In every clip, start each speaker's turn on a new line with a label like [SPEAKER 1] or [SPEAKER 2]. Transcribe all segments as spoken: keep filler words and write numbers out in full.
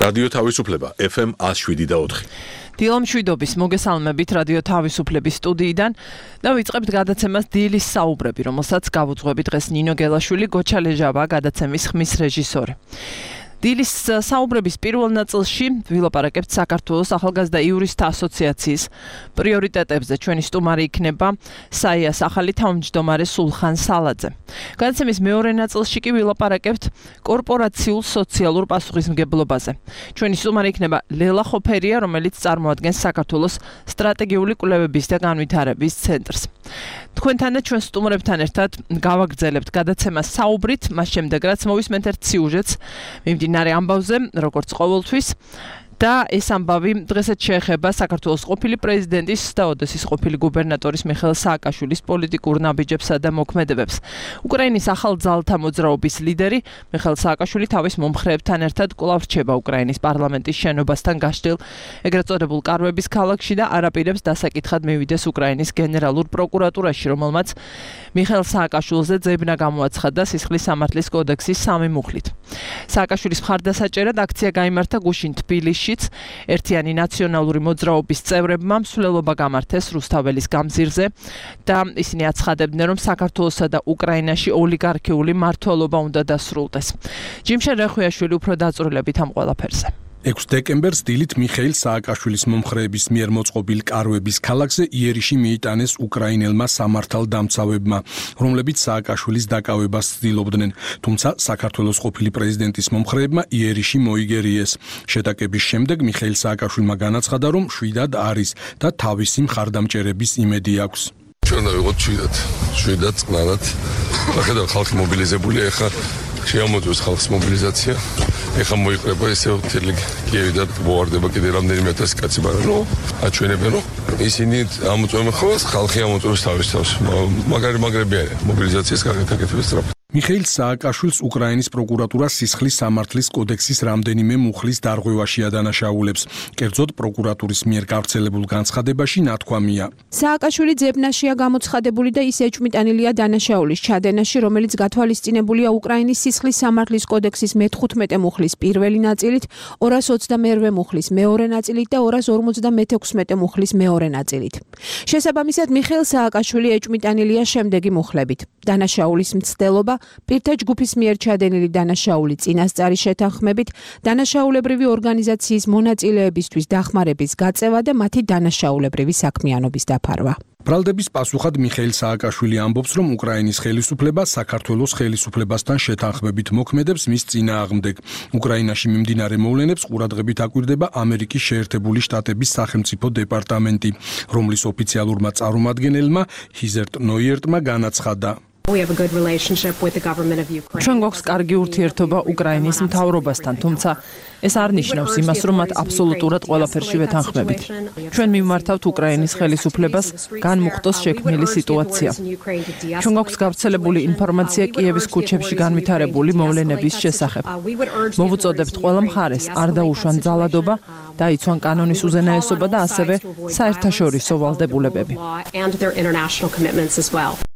[SPEAKER 1] რადიო თავისუფლება ეფ ემ one oh seven და four.
[SPEAKER 2] დილამ შვიდობის მოგესალმებით რადიო თავისუფლების სტუდიიდან და ვიწყებთ გადაცემას დილის საუბრები, რომელსაც გავუძღვებით დღეს ნინო გელაშვილი, გოჩა ლეჟავა, გადაცემის ხმის რეჟისორი. დილის საუბრების პირველ ნაწილში ვილაპარაკებთ საქართველოს ახალგაზრდა იურისტთა ასოციაციის პრიორიტეტებზე. ჩვენი სტუმარი იქნება საიას ახალი თავმჯდომარე სულხან სალაძე. გადაცემის მეორე ნაწილში კი ვილაპარაკებთ კორპორაციულ სოციალურ პასუხისმგებლობაზე. ჩვენი სტუმარი იქნება ლელა ხოფერია, რომელიც წარმოადგენს საქართველოს სტრატეგიული კვლევების და განვითარების ცენტრს. თქვენთან და ჩვენ სტუმრებთან ერთად გავაგრძელებთ გადაცემას საუბრით, მას შემდეგ რაც მოვისმენთ ერთ სიუჟეტს მიმდინარე ამბავზე, როგორც ყოველთვის. და ეს ამბავი დღესაც შეეხება საქართველოს ყოფილი პრეზიდენტის და ოდესის ყოფილი გუბერნატორის მიხეილ სააკაშვილის პოლიტიკურ ნაბიჯებსა და მოქმედებებს. უკრაინის ახალ ძალთა მოძრაობის ლიდერი მიხეილ სააკაშვილი თავის მომხრეებთან ერთად კვლავ რჩება უკრაინის პარლამენტის შენობასთან გაშლილ ეგრეთ წოდებულ კარვების ქალაქში და არაპირებს დასაკითხად მივიდეს უკრაინის გენერალურ პროკურატურაში, რომელმაც მიხეილ სააკაშვილზე ძებნა გამოაცხადა სისხლის სამართლის კოდექსის სამი მუხლით. სააკაშვილის მხარდასაჭერად აქცია გაიმართა გუშინ თბილისში. ერთიანი ნაციონალური მოძრაობის წევრებმა მსვლელობა გამართეს რუსთაველის გამზირზე და ისინი აცხადებდნენ, რომ საქართველოსა და უკრაინაში ოლიგარქიული მმართველობა უნდა დასრულდეს. ჯიმშენ რეხვიაშვილი უფრო დაწვრილებით ამ ყველაფერზე.
[SPEAKER 3] ექვსი დეკემბერს დილით მიხეილ სააკაშვილის მომხრეების მიერ მოწყობილ კარვების ქალაქზე იერიში მიიტანეს უკრაინელმა სამართალდამცავებმა, რომლებიც სააკაშვილის დაკავებას ცდილობდნენ, თუმცა საქართველოს ყოფილი პრეზიდენტის მომხრეებმა იერიში მოიგერიეს. შეტაკების შემდეგ მიხეილ სააკაშვილმა განაცხადა, რომ შვიდად არის და თავისი მხარდამჭერების იმედი აქვს.
[SPEAKER 4] ჩვენ ვიყოთ შვიდად, შვიდად წყნარად. ახლა ხალხი მობილიზებულია, ახლა შეამოწევს ხალხის მობილიზაცია. ეხლა მოიყრება ესე მთელი კიევი და მოვარდება კიდე რამდენიმე ათასი კაცი, მაგრამ ნუ აჩვენებენ, რომ ისინი ამოწევენ ხოლმე, ხალხი ამოწევს თავის თავს. მაგარი მაგრები არიან მობილიზაციის გაკეთების სწრაფად.
[SPEAKER 3] მიხეილ სააკაშვილს უკრაინის პროკურატურა სისხლის სამართლის კოდექსის რამდენიმე მუხლის დარღვევაში ადანაშაულებს. კერძოდ პროკურატურის მიერ გავრცელებულ განცხადებაში ნათქვამია.
[SPEAKER 5] სააკაშვილი ძებნაშია გამოცხადებული და ის ეჭვმიტანილია დანაშაულის ჩადენაში, რომელიც გათვალისწინებულია უკრაინის სისხლის სამართლის კოდექსის მეთხუთმეტე მუხლის პირველი ნაწილით, ორას ოცდამეორვე მუხლის მეორე ნაწილით და ორას ორმოცდამეექვსმეტე მუხლის მეორე ნაწილით. შესაბამისად, მიხეილ სააკაშვილი ეჭვმიტანილია შემდეგი მუხლებით: დანაშაულის მცდელობა, პირთა ჯგუფის მიერ ჩადენილი დანაშაული წინასწარი შეთანხმებით, დანაშაულებრივი ორგანიზაციის მონაწილეებისთვის დახმარების გაწევა და მათი დანაშაულებრივი საქმიანობის დაფარვა.
[SPEAKER 3] ბრალდების პასუხად მიხეილ სააკაშვილი ამბობს, რომ უკრაინის ხელისუფლება საქართველოს ხელისუფლებასთან შეთანხმებით მოქმედებს მის წინააღმდეგ. უკრაინაში მიმდინარე მოვლენებს ყურადღებით აკვირდება ამერიკის შეერთებული შტატების სახელმწიფო დეპარტამენტი, რომლის ოფიციალურმა წარმომადგენელმა ჰიზერტ ნოიერტმა განაცხადა.
[SPEAKER 2] ჩვენ გვაქვს კარგი ურთიერთობა უკრაინის მთავრობასთან, თუმცა ეს არ ნიშნავს იმას, რომ მათ აბსოლუტურად ყველაფერში ვეთანხმებით. ჩვენ მივმართავთ უკრაინის ხელისუფლებას განმუხტოს შექმნილი სიტუაცია. ჩვენ გვაქვს გავრცელებული ინფორმაცია კიევის ქუჩებში განვითარებული მოვლენების შესახებ. მოვუწოდებთ ყველა მხარეს არ დაუშვან ძალადობა, დაიცვან კანონის უზენაესობა და ასევე საერთაშორისო ვალდებულებები.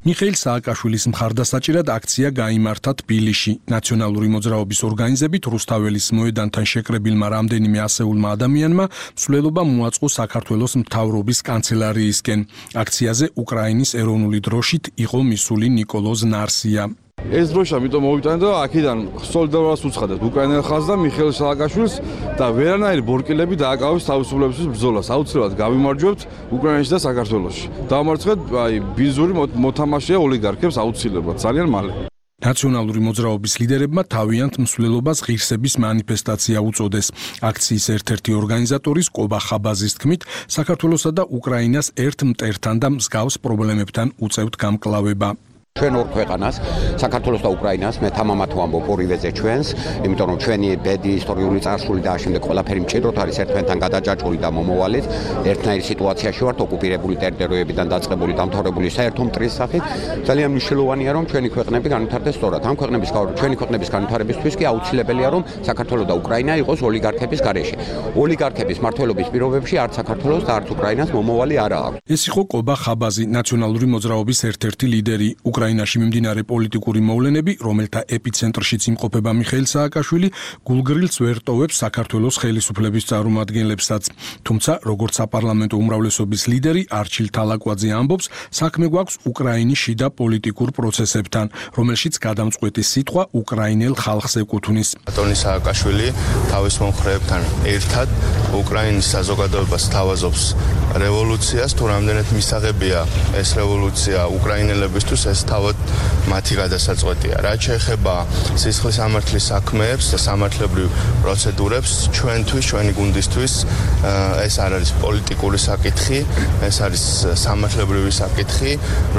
[SPEAKER 3] მიხეილ სააკაშვილის მხარდასაჭერად აქცია გაიმართა თბილისში. ნაციონალური მოძრაობის ორგანიზებით რუსთაველის მოედანთან შეკრებილმა რამდენიმე ასეულმა ადამიანმა მსვლელობა მოაწყო საქართველოს მთავრობის კანცელარიისკენ. აქციაზე უკრაინის ეროვნული დროშით იყო მისული ნიკოლოზ ნარსია.
[SPEAKER 6] ეს დროშა მიტომ მოვიტანე და აქედან სოლიდარობას უცხადეთ უკრაინელ ხალხს და მიხეილ სააკაშვილს და ვერანაირი ბორკილები დააკავეს თავისუფლებისთვის ბრძოლას. აუცილებლად გავიმარჯვებთ უკრაინაში და საქართველოში. დავამარცხეთ აი ბიზური მოთამაშეა ოლიგარქებს აუცილებლად ძალიან მალე.
[SPEAKER 3] ნაციონალური მოძრაობის ლიდერებმა თავიანთ მსვლელობას ღირსების მანიფესტაცია უწოდეს. აქციის ერთ-ერთი ორგანიზატორის კობა ხაბაზის თქმით, საქართველოსა და უკრაინას ერთ მტერთან და მსგავს პრობლემებთან უწევთ გამკლავება.
[SPEAKER 7] ჩვენ ორ ქვეყანას, საქართველოს და უკრაინას, მე თამამად ვამბობ ორივეზე ჩვენს, იმიტომ რომ ჩვენი ბედი, ისტორიული წარსული და ამავდროულად ყველაფერი მჭიდროდ არის ერთმანეთთან გადაჯაჭვური და მომავალით. ერთნაირ სიტუაციაში ვართ ოკუპირებული ტერიტორიებიდან დაწყებული დამთავრებული საერთო მტრის სახით. ძალიან მნიშვნელოვანია რომ ჩვენი ქვეყნები განვითარდეს სწორად. ამ ქვეყნების ჩვენი ქვეყნების განვითარებისთვის კი აუცილებელია რომ საქართველო და უკრაინა იყოს ოლიგარქების გარეშე. ოლიგარქების მმართველობის პირობებში არც საქართველოს და არც უკრაინას მომავალი არა აქვს.
[SPEAKER 3] ეს იყო კობა ხაბაზი, ნაციონალური მოძრაობის ერთ-ერთი ლიდერი. უკრაინაში მიმდინარე პოლიტიკური მოვლენები, რომელთა ეპიცენტრშიც იმყოფება მიხეილ სააკაშვილი, გულგრილს ვერ ტოვებს საქართველოს ხელისუფლების წარმომადგენლებსაც. თუმცა, როგორც საპარლამენტო უმრავლესობის ლიდერი არჩილ თალაკვაძე ამბობს, საქმე გვაქვს უკრაინის შიდა პოლიტიკურ პროცესებთან, რომელშიც გადამწყვეტი სიტყვა უკრაინელ ხალხს ეკუთვნის.
[SPEAKER 8] ატონი სააკაშვილი თავის მომხრეებთან ერთად უკრაინის საზოგადოებას თავაზობს რევოლუციას, თუ რამდენად მისაღებია ეს რევოლუცია უკრაინელებისთვის, ეს თავად მათი გადასაწყვეტია. რაც შეეხება სისხლის სამართლის საქმეებს და სამართლებრივ პროცედურებს, ჩვენთვის, ჩვენი გუნდისთვის ეს არ არის პოლიტიკური საკითხი, ეს არის სამართლებრივი საკითხი,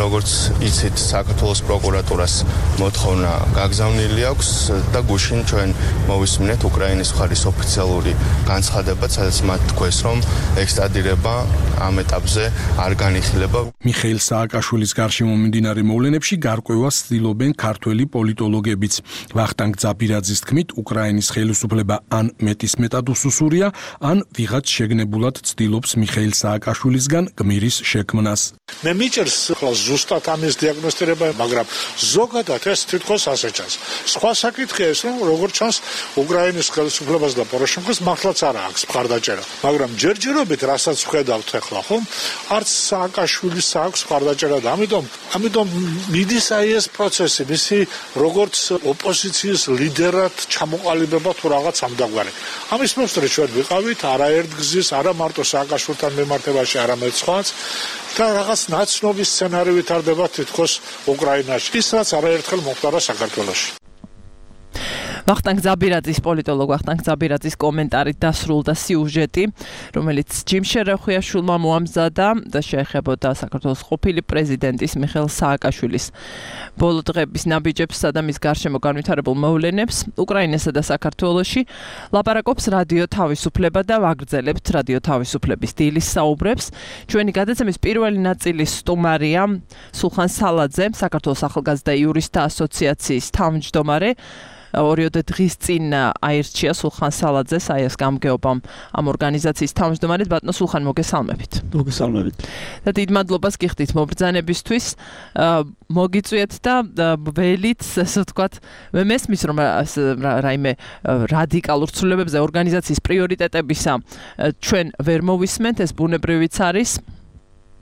[SPEAKER 8] როგორც იცით, საქართველოს პროკურატურას მოთხოვნა გაგზავნილი აქვს და გუშინ ჩვენ მოვისმინეთ უკრაინის მხარის ოფიციალური განცხადება, სადაც მათ თქვეს, რომ ექსტრადირება ამ ეტაპზე არ განიხილება.
[SPEAKER 3] მიხეილ სააკაშვილის გარშემო მიმდინარე მოვლენებში გარკვევას ცდილობენ ქართველი პოლიტოლოგებიც. ვახტანგ ძაბირაძის თქმით, უკრაინის ხელისუფლება ან მეტისმეტად უსუსურია, ან ვიღაც შეგნებულად ცდილობს მიხეილ სააკაშვილისგან გმირის შექმნას.
[SPEAKER 9] მე მიჭერს ხოლმე ზუსტად ამის დიაგნოსტირება, მაგრამ ზოგადად ეს თითქოს ასე ჩანს. სხვა საკითხია ეს, რომ როგორც ჩანს, უკრაინის ხელისუფლებას და პოროშენკოს მართლაც არ აქვს მხარდაჭერა, მაგრამ ჯერჯერობით რასაც ვხედავთ ახლა, ხომ? არც სააკაშვილის აქვს მხარდაჭერა და ამიტომ, ამიტომ მიდის აი ეს პროცესი, მისი როგორც ოპოზიციის ლიდერად ჩამოყალიბება თუ რაღაც ამდაგვარი. ამის მოსწრე ჩვენ ვიყავით არაერთ გზის, არა მარტო სააკაშვილთან მიმართებაში, არამედ სხვაც და რაღაც ნაცნობი სცენარი ვითარდება თითქოს უკრაინაში. ის რაც არაერთხელ მოხდა საქართველოში.
[SPEAKER 2] ვახტანგ ძაბირაძის პოლიტოლოგ ვახტანგ ძაბირაძის კომენტარით დასრულდა სიუჟეტი, რომელიც ჯიმ შერეხვიაშვილმა მოამზადა და შეეხებოდა საქართველოს ყოფილი პრეზიდენტის მიხეილ სააკაშვილის ბოლო დღების ნაბიჯებსა და მის გარშემო განვითარებულ მოვლენებს. უკრაინასა და საქართველოში ლაპარაკობს რადიო თავისუფლება და ვაგრძელებთ რადიო თავისუფლების დილის საუბრებს. ჩვენი გადაცემის პირველი ნაწილის სტუმარია სულხან სალაძე, საქართველოს ახალგაზრდა იურისტთა ასოციაციის თავმჯდომარე. ორიოდე დღის წინ აირჩია სულხან სალაძეს აი ეს გამგეობამ ამ ორგანიზაციის თავმჯდომარედ. ბატონო სულხან, მოგესალმებით.
[SPEAKER 10] მოგესალმებით.
[SPEAKER 2] და დიდ მადლობას გიხდით მობრძანებისთვის. მოგიწვიეთ და ველით, ასე ვთქვათ, მე მესმის რომ რაიმე რადიკალურ ცვლილებებზე ორგანიზაციის პრიორიტეტებისა ჩვენ ვერ მოვისმენთ, ეს ბუნებრივიც არის.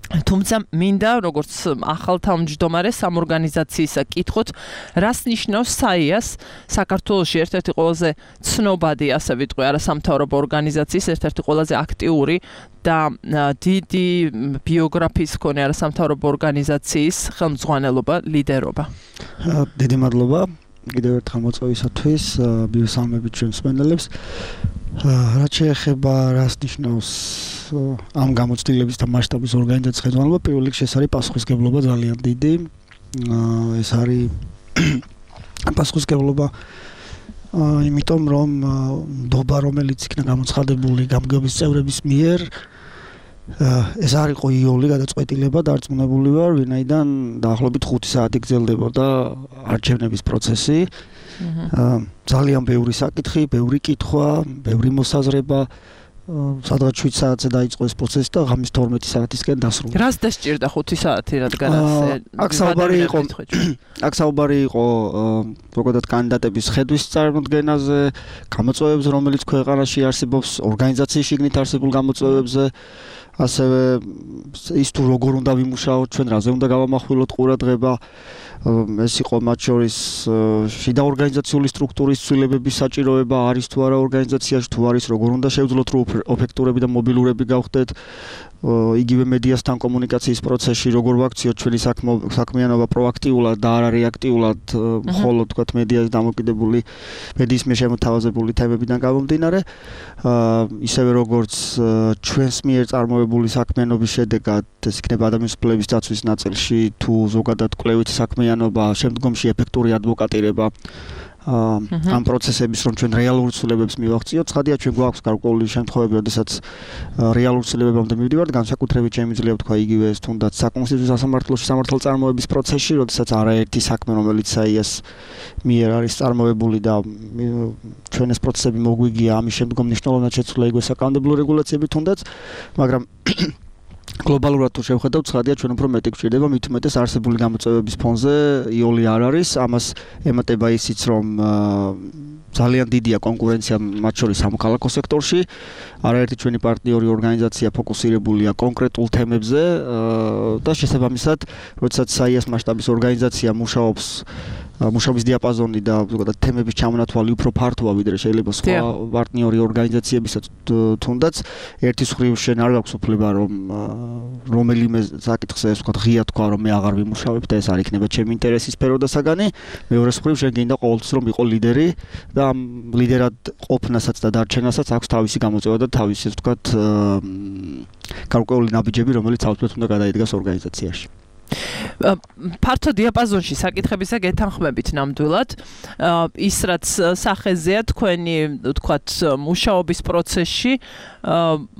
[SPEAKER 2] თუმცა მინდა როგორც ახალ თავმჯდომარეს ამ ორგანიზაციისა კითხოთ, რას ნიშნავს საიას საქართველოში ერთ-ერთი ყველაზე ცნობადი, ასე ვიტყვი, არასამთავრობო ორგანიზაციის, ერთ-ერთი ყველაზე აქტიური და დიდი ბიოგრაფიის მქონე არასამთავრობო ორგანიზაციის ხელმძღვანელობა, ლიდერობა.
[SPEAKER 10] დიდი მადლობა კიდევ ერთხელ მოწვევისათვის, მივესალმებით ჩვენს მსმენელებს. რაც შეეხება რას ნიშნავს ამ გამოცდილების და მასშტაბის ორგანიზაციის ხელმძღვანელობა, პირველ რიგში ეს არის პასუხისმგებლობა ძალიან დიდი. ეს არის პასუხისმგებლობა იმიტომ რომ ნდობა რომელიც იქნა გამოცხადებული გამგეობის წევრების მიერ, ეს არ იყო იოლი გადაწყვეტილება, დარწმუნებული ვარ, ვინაიდან დაახლოებით ხუთი საათი გრძელდებოდა არჩევნების პროცესი. ძალიან ბევრი საკითხი, ბევრი კითხვა, ბევრი მოსაზრება, სადღაც შვიდ საათზე დაიწყო ეს პროცესი და ღამის თორმეტი საათისკენ დასრულდა.
[SPEAKER 2] რას დასჭირდა ხუთი საათი, რადგან
[SPEAKER 10] აქ საუბარი იყო აქ საუბარი იყო ზოგადად კანდიდატების ხედვის წარმოდგენაზე, გამოწვევებზე, რომელიც ქვეყანაში არსებობს, ორგანიზაციის შიგნით არსებულ გამოწვევებზე, ასევე ის თუ როგორ უნდა ვიმუშაოთ, ჩვენ რაზე უნდა გავამახვილოთ ყურადღება. ეს იყო მათ შორის შიდა ორგანიზაციული სტრუქტურის ცვლილებების საჭიროება არის თუ არა ორგანიზაციაში, თუ არის როგორ უნდა შევძლოთ, რომ ოფექტურები და მობილურები გავხდეთ, იგივე მედიასთან კომუნიკაციის პროცესში, როგორ ვაქციოთ ჩვენი საქმიანობა პროაქტიულად და არა რეაქტიულად, მხოლოდ თქვათ მედიას დამოკიდებული, მედიის მიერ შემოთავაზებული თემებიდან გამომდინარე, ისევე როგორც ჩვენს მიერ წარმოებული საქმიანობის შედეგად ეს იქნება ადამიანის უფლებების დაცვის ნაწილში, თუ ზოგადად კვლევითი საქმიანობა, შემდგომში ეფექტური ადვოკატირება ამ პროცესების რომ ჩვენ რეალურ ცვლილებებს მივახციოთ. ცხადია, ჩვენ გვაქვს გარკვეული შემთხვევები, როდესაც რეალურ ცვლილებებამდე მივდივართ, განსაკუთრებით შემიძლია ვთქვა იგივე ეს თუნდაც საკონსტიტუციო სასამართლოში სამართალწარმოების პროცესში, როდესაც არაერთი საქმე, რომელიც საიას მიერ არის წარმოებული და ჩვენ ეს პროცესები მოგვიგია, ამის შემდგომ მნიშვნელოვნად შეცვლა იგივე საკანონმდებლო რეგულაციები თუნდაც, მაგრამ გლობალურად თუ შევხედავთ, ცხადია ჩვენ უფრო მეტი გვჭირდება, მით უმეტეს არსებული გამოწვევების ფონზე იოლი არ არის, ამას ემატება ისიც, რომ ძალიან დიდია კონკურენცია მათ შორის სამოქალაქო სექტორში. არაერთი ჩვენი პარტნიორი ორგანიზაცია ფოკუსირებულია კონკრეტულ თემებზე და შესაბამისად, როდესაც საიას მასშტაბის ორგანიზაცია მუშაობს მუშაობის დიაპაზონი და ზოგადად თემების ჩამონათვალი უფრო ფართოა ვიდრე შეიძლება სხვა პარტნიორი ორგანიზაციებისა თუნდაც ერთი მხრივ შენ არ გაქვს უფლება რომ რომელიმე საკითხზე ეს ვთქვათ ღია თქვა რომ მე აღარ ვიმუშავებ და ეს არ იქნება ჩემი ინტერესის სფერო და საგანი მეორე მხრივ შენ გინდა ყოველთვის რომ იყო ლიდერი და ამ ლიდერად ყოფნასაც და დარჩენასაც აქვს თავისი გამოწვევა და თავისი ვთქვათ გარკვეული ნაბიჯები რომელიც აუცილებლად უნდა გადაიდგას ორგანიზაციაში ფართო დიაპაზონში საკითხებისა გეთანხმებით ნამდვილად ის რაც სახეზეა თქვენი ვთქვათ მუშაობის პროცესში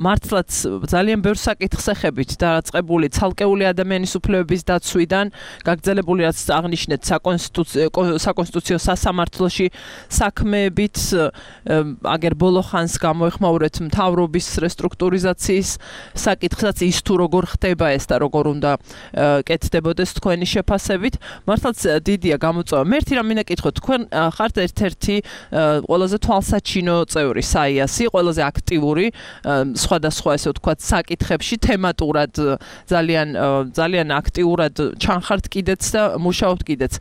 [SPEAKER 10] მართლაც ძალიან ბევრ საკითხს ეხებით დაწყებული ცალკეული ადამიანის უფლებების დაცვიდან გაგრძელებული რაც აღნიშნეთ საკონსტიტუციო სასამართლოში საქმეებით აგერ ბოლო ხანს გამოეხმაურეთ მთავრობის რესტრუქტურიზაციის საკითხსაც ის თუ როგორ ხდება ეს და როგორ უნდა კეთდებოდეს თქვენი შეფასებით მართლაც დიდია გამოწვევა მე ერთი რამ მინდა კითხოთ თქვენ ხართ ერთ-ერთი ყველაზე თვალსაჩინო წევრი საიასი ყველაზე აქტიური სხვადასხვა ესე ვთქვათ საკითხებში თემატურად ძალიან ძალიან აქტიურად ჩანხართ კიდეც და მუშაობთ კიდეც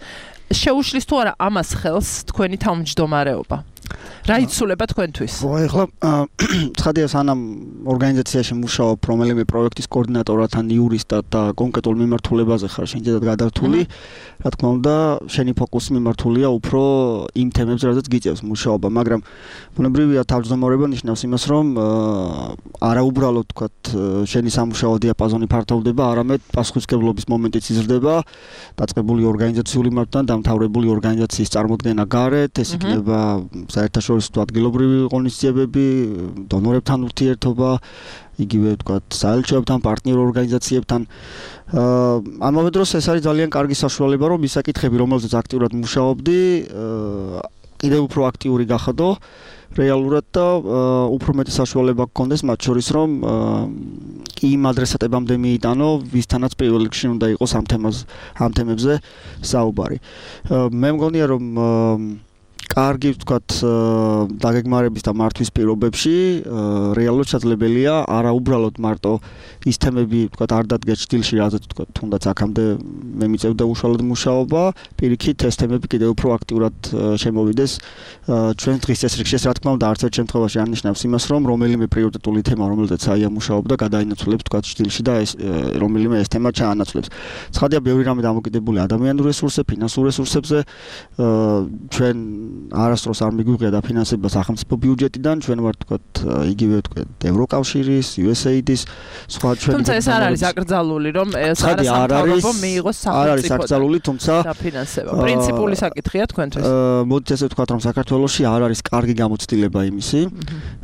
[SPEAKER 10] შეუშლის თუ არა ამას ხელს თქვენი თავმჯდომარეობა რა იცულება თქვენთვის? ეხლა ცხადია სანამ ორგანიზაციაში მუშაობ რომელიმე პროექტის კოორდინატორად ან იურისტად და კონკრეტულ მიმართულებაზე ხარ შენჯერად გადართული რა თქმა უნდა შენი ფოკუსი მიმართულია უფრო იმ თემებზე რადგან გიწევს მუშაობა მაგრამ ბუნებრივია თავმჯდომარეობა ნიშნავს იმას რომ არაუბრალოდ თქვათ შენი სამუშაო დიაპაზონი ფართოვდება არამედ პასუხისმგებლობის მომენტიც იზრდება დაწყებული ორგანიზაციული მართვა დამთავრებული ორგანიზაციის წარმოქმნა გარეთ ეს იქნება საერთაშორისო ადგილობრივი ღონისძიებები, დონორებთან ურთიერთობა, იგივე ვთქვათ, საელჩოებთან, პარტნიორ ორგანიზაციებთან. ამავე დროს ეს არის ძალიან კარგი საშუალება, რომ ის საკითხები, რომელზეც აქტიურად მუშაობდი, კიდევ უფრო აქტიური გახადო რეალურად და უფრო მეტი საშუალება გქონდეს მათ შორის, რომ იმ ადრესატებამდე მიიტანო, ვისთანაც პირველ რიგში უნდა იყოს ამ თემაზე, ამ თემებზე საუბარი. მე მგონია, რომ კარგი ვთქვათ დაგეგმარების და მართვის პირობებში რეალურად შესაძლებელია არა უბრალოდ მარტო ის თემები ვთქვათ არ დადგეს ჭდილში რაზეც ვთქვათ თუნდაც აქამდე მე მიწევდა უშუალოდ მუშაობა პირიქით ეს თემები კიდევ უფრო აქტიურად შემოვიდეს ჩვენ დღის წესრიგში რა თქმა უნდა არც ერთ შემთხვევაში არ ნიშნავს იმას რომ რომელიმე პრიორიტეტული თემა რომელზეც აია მუშაობდა გადაინაცვლებს ვთქვათ ჭდილში და ეს რომელიმე ეს თემა ჩაანაცვლებს ცხადია ბევრი რამე დამოკიდებული ადამიანურ რესურსებზე ფინანსურ რესურსებზე ჩვენ არასდროს არ მიგვიღია დაფინანსება სახელმწიფო ბიუჯეტიდან ჩვენ ვართ თქვათ იგივე თქვათ ევროკავშირის იუ ეს έი დის სხვა ჩვენ
[SPEAKER 2] თუმცა ეს არ არის აკრძალული რომ ეს არასამთავრობო მიიღოს სახელმწიფოდან
[SPEAKER 10] არ არის აკრძალული თუმცა
[SPEAKER 2] დაფინანსება პრინციპული საკითხია თქვენთვის
[SPEAKER 10] მოდით ესე ვთქვათ რომ საქართველოში არ არის კარგი გამოცდილება იმისი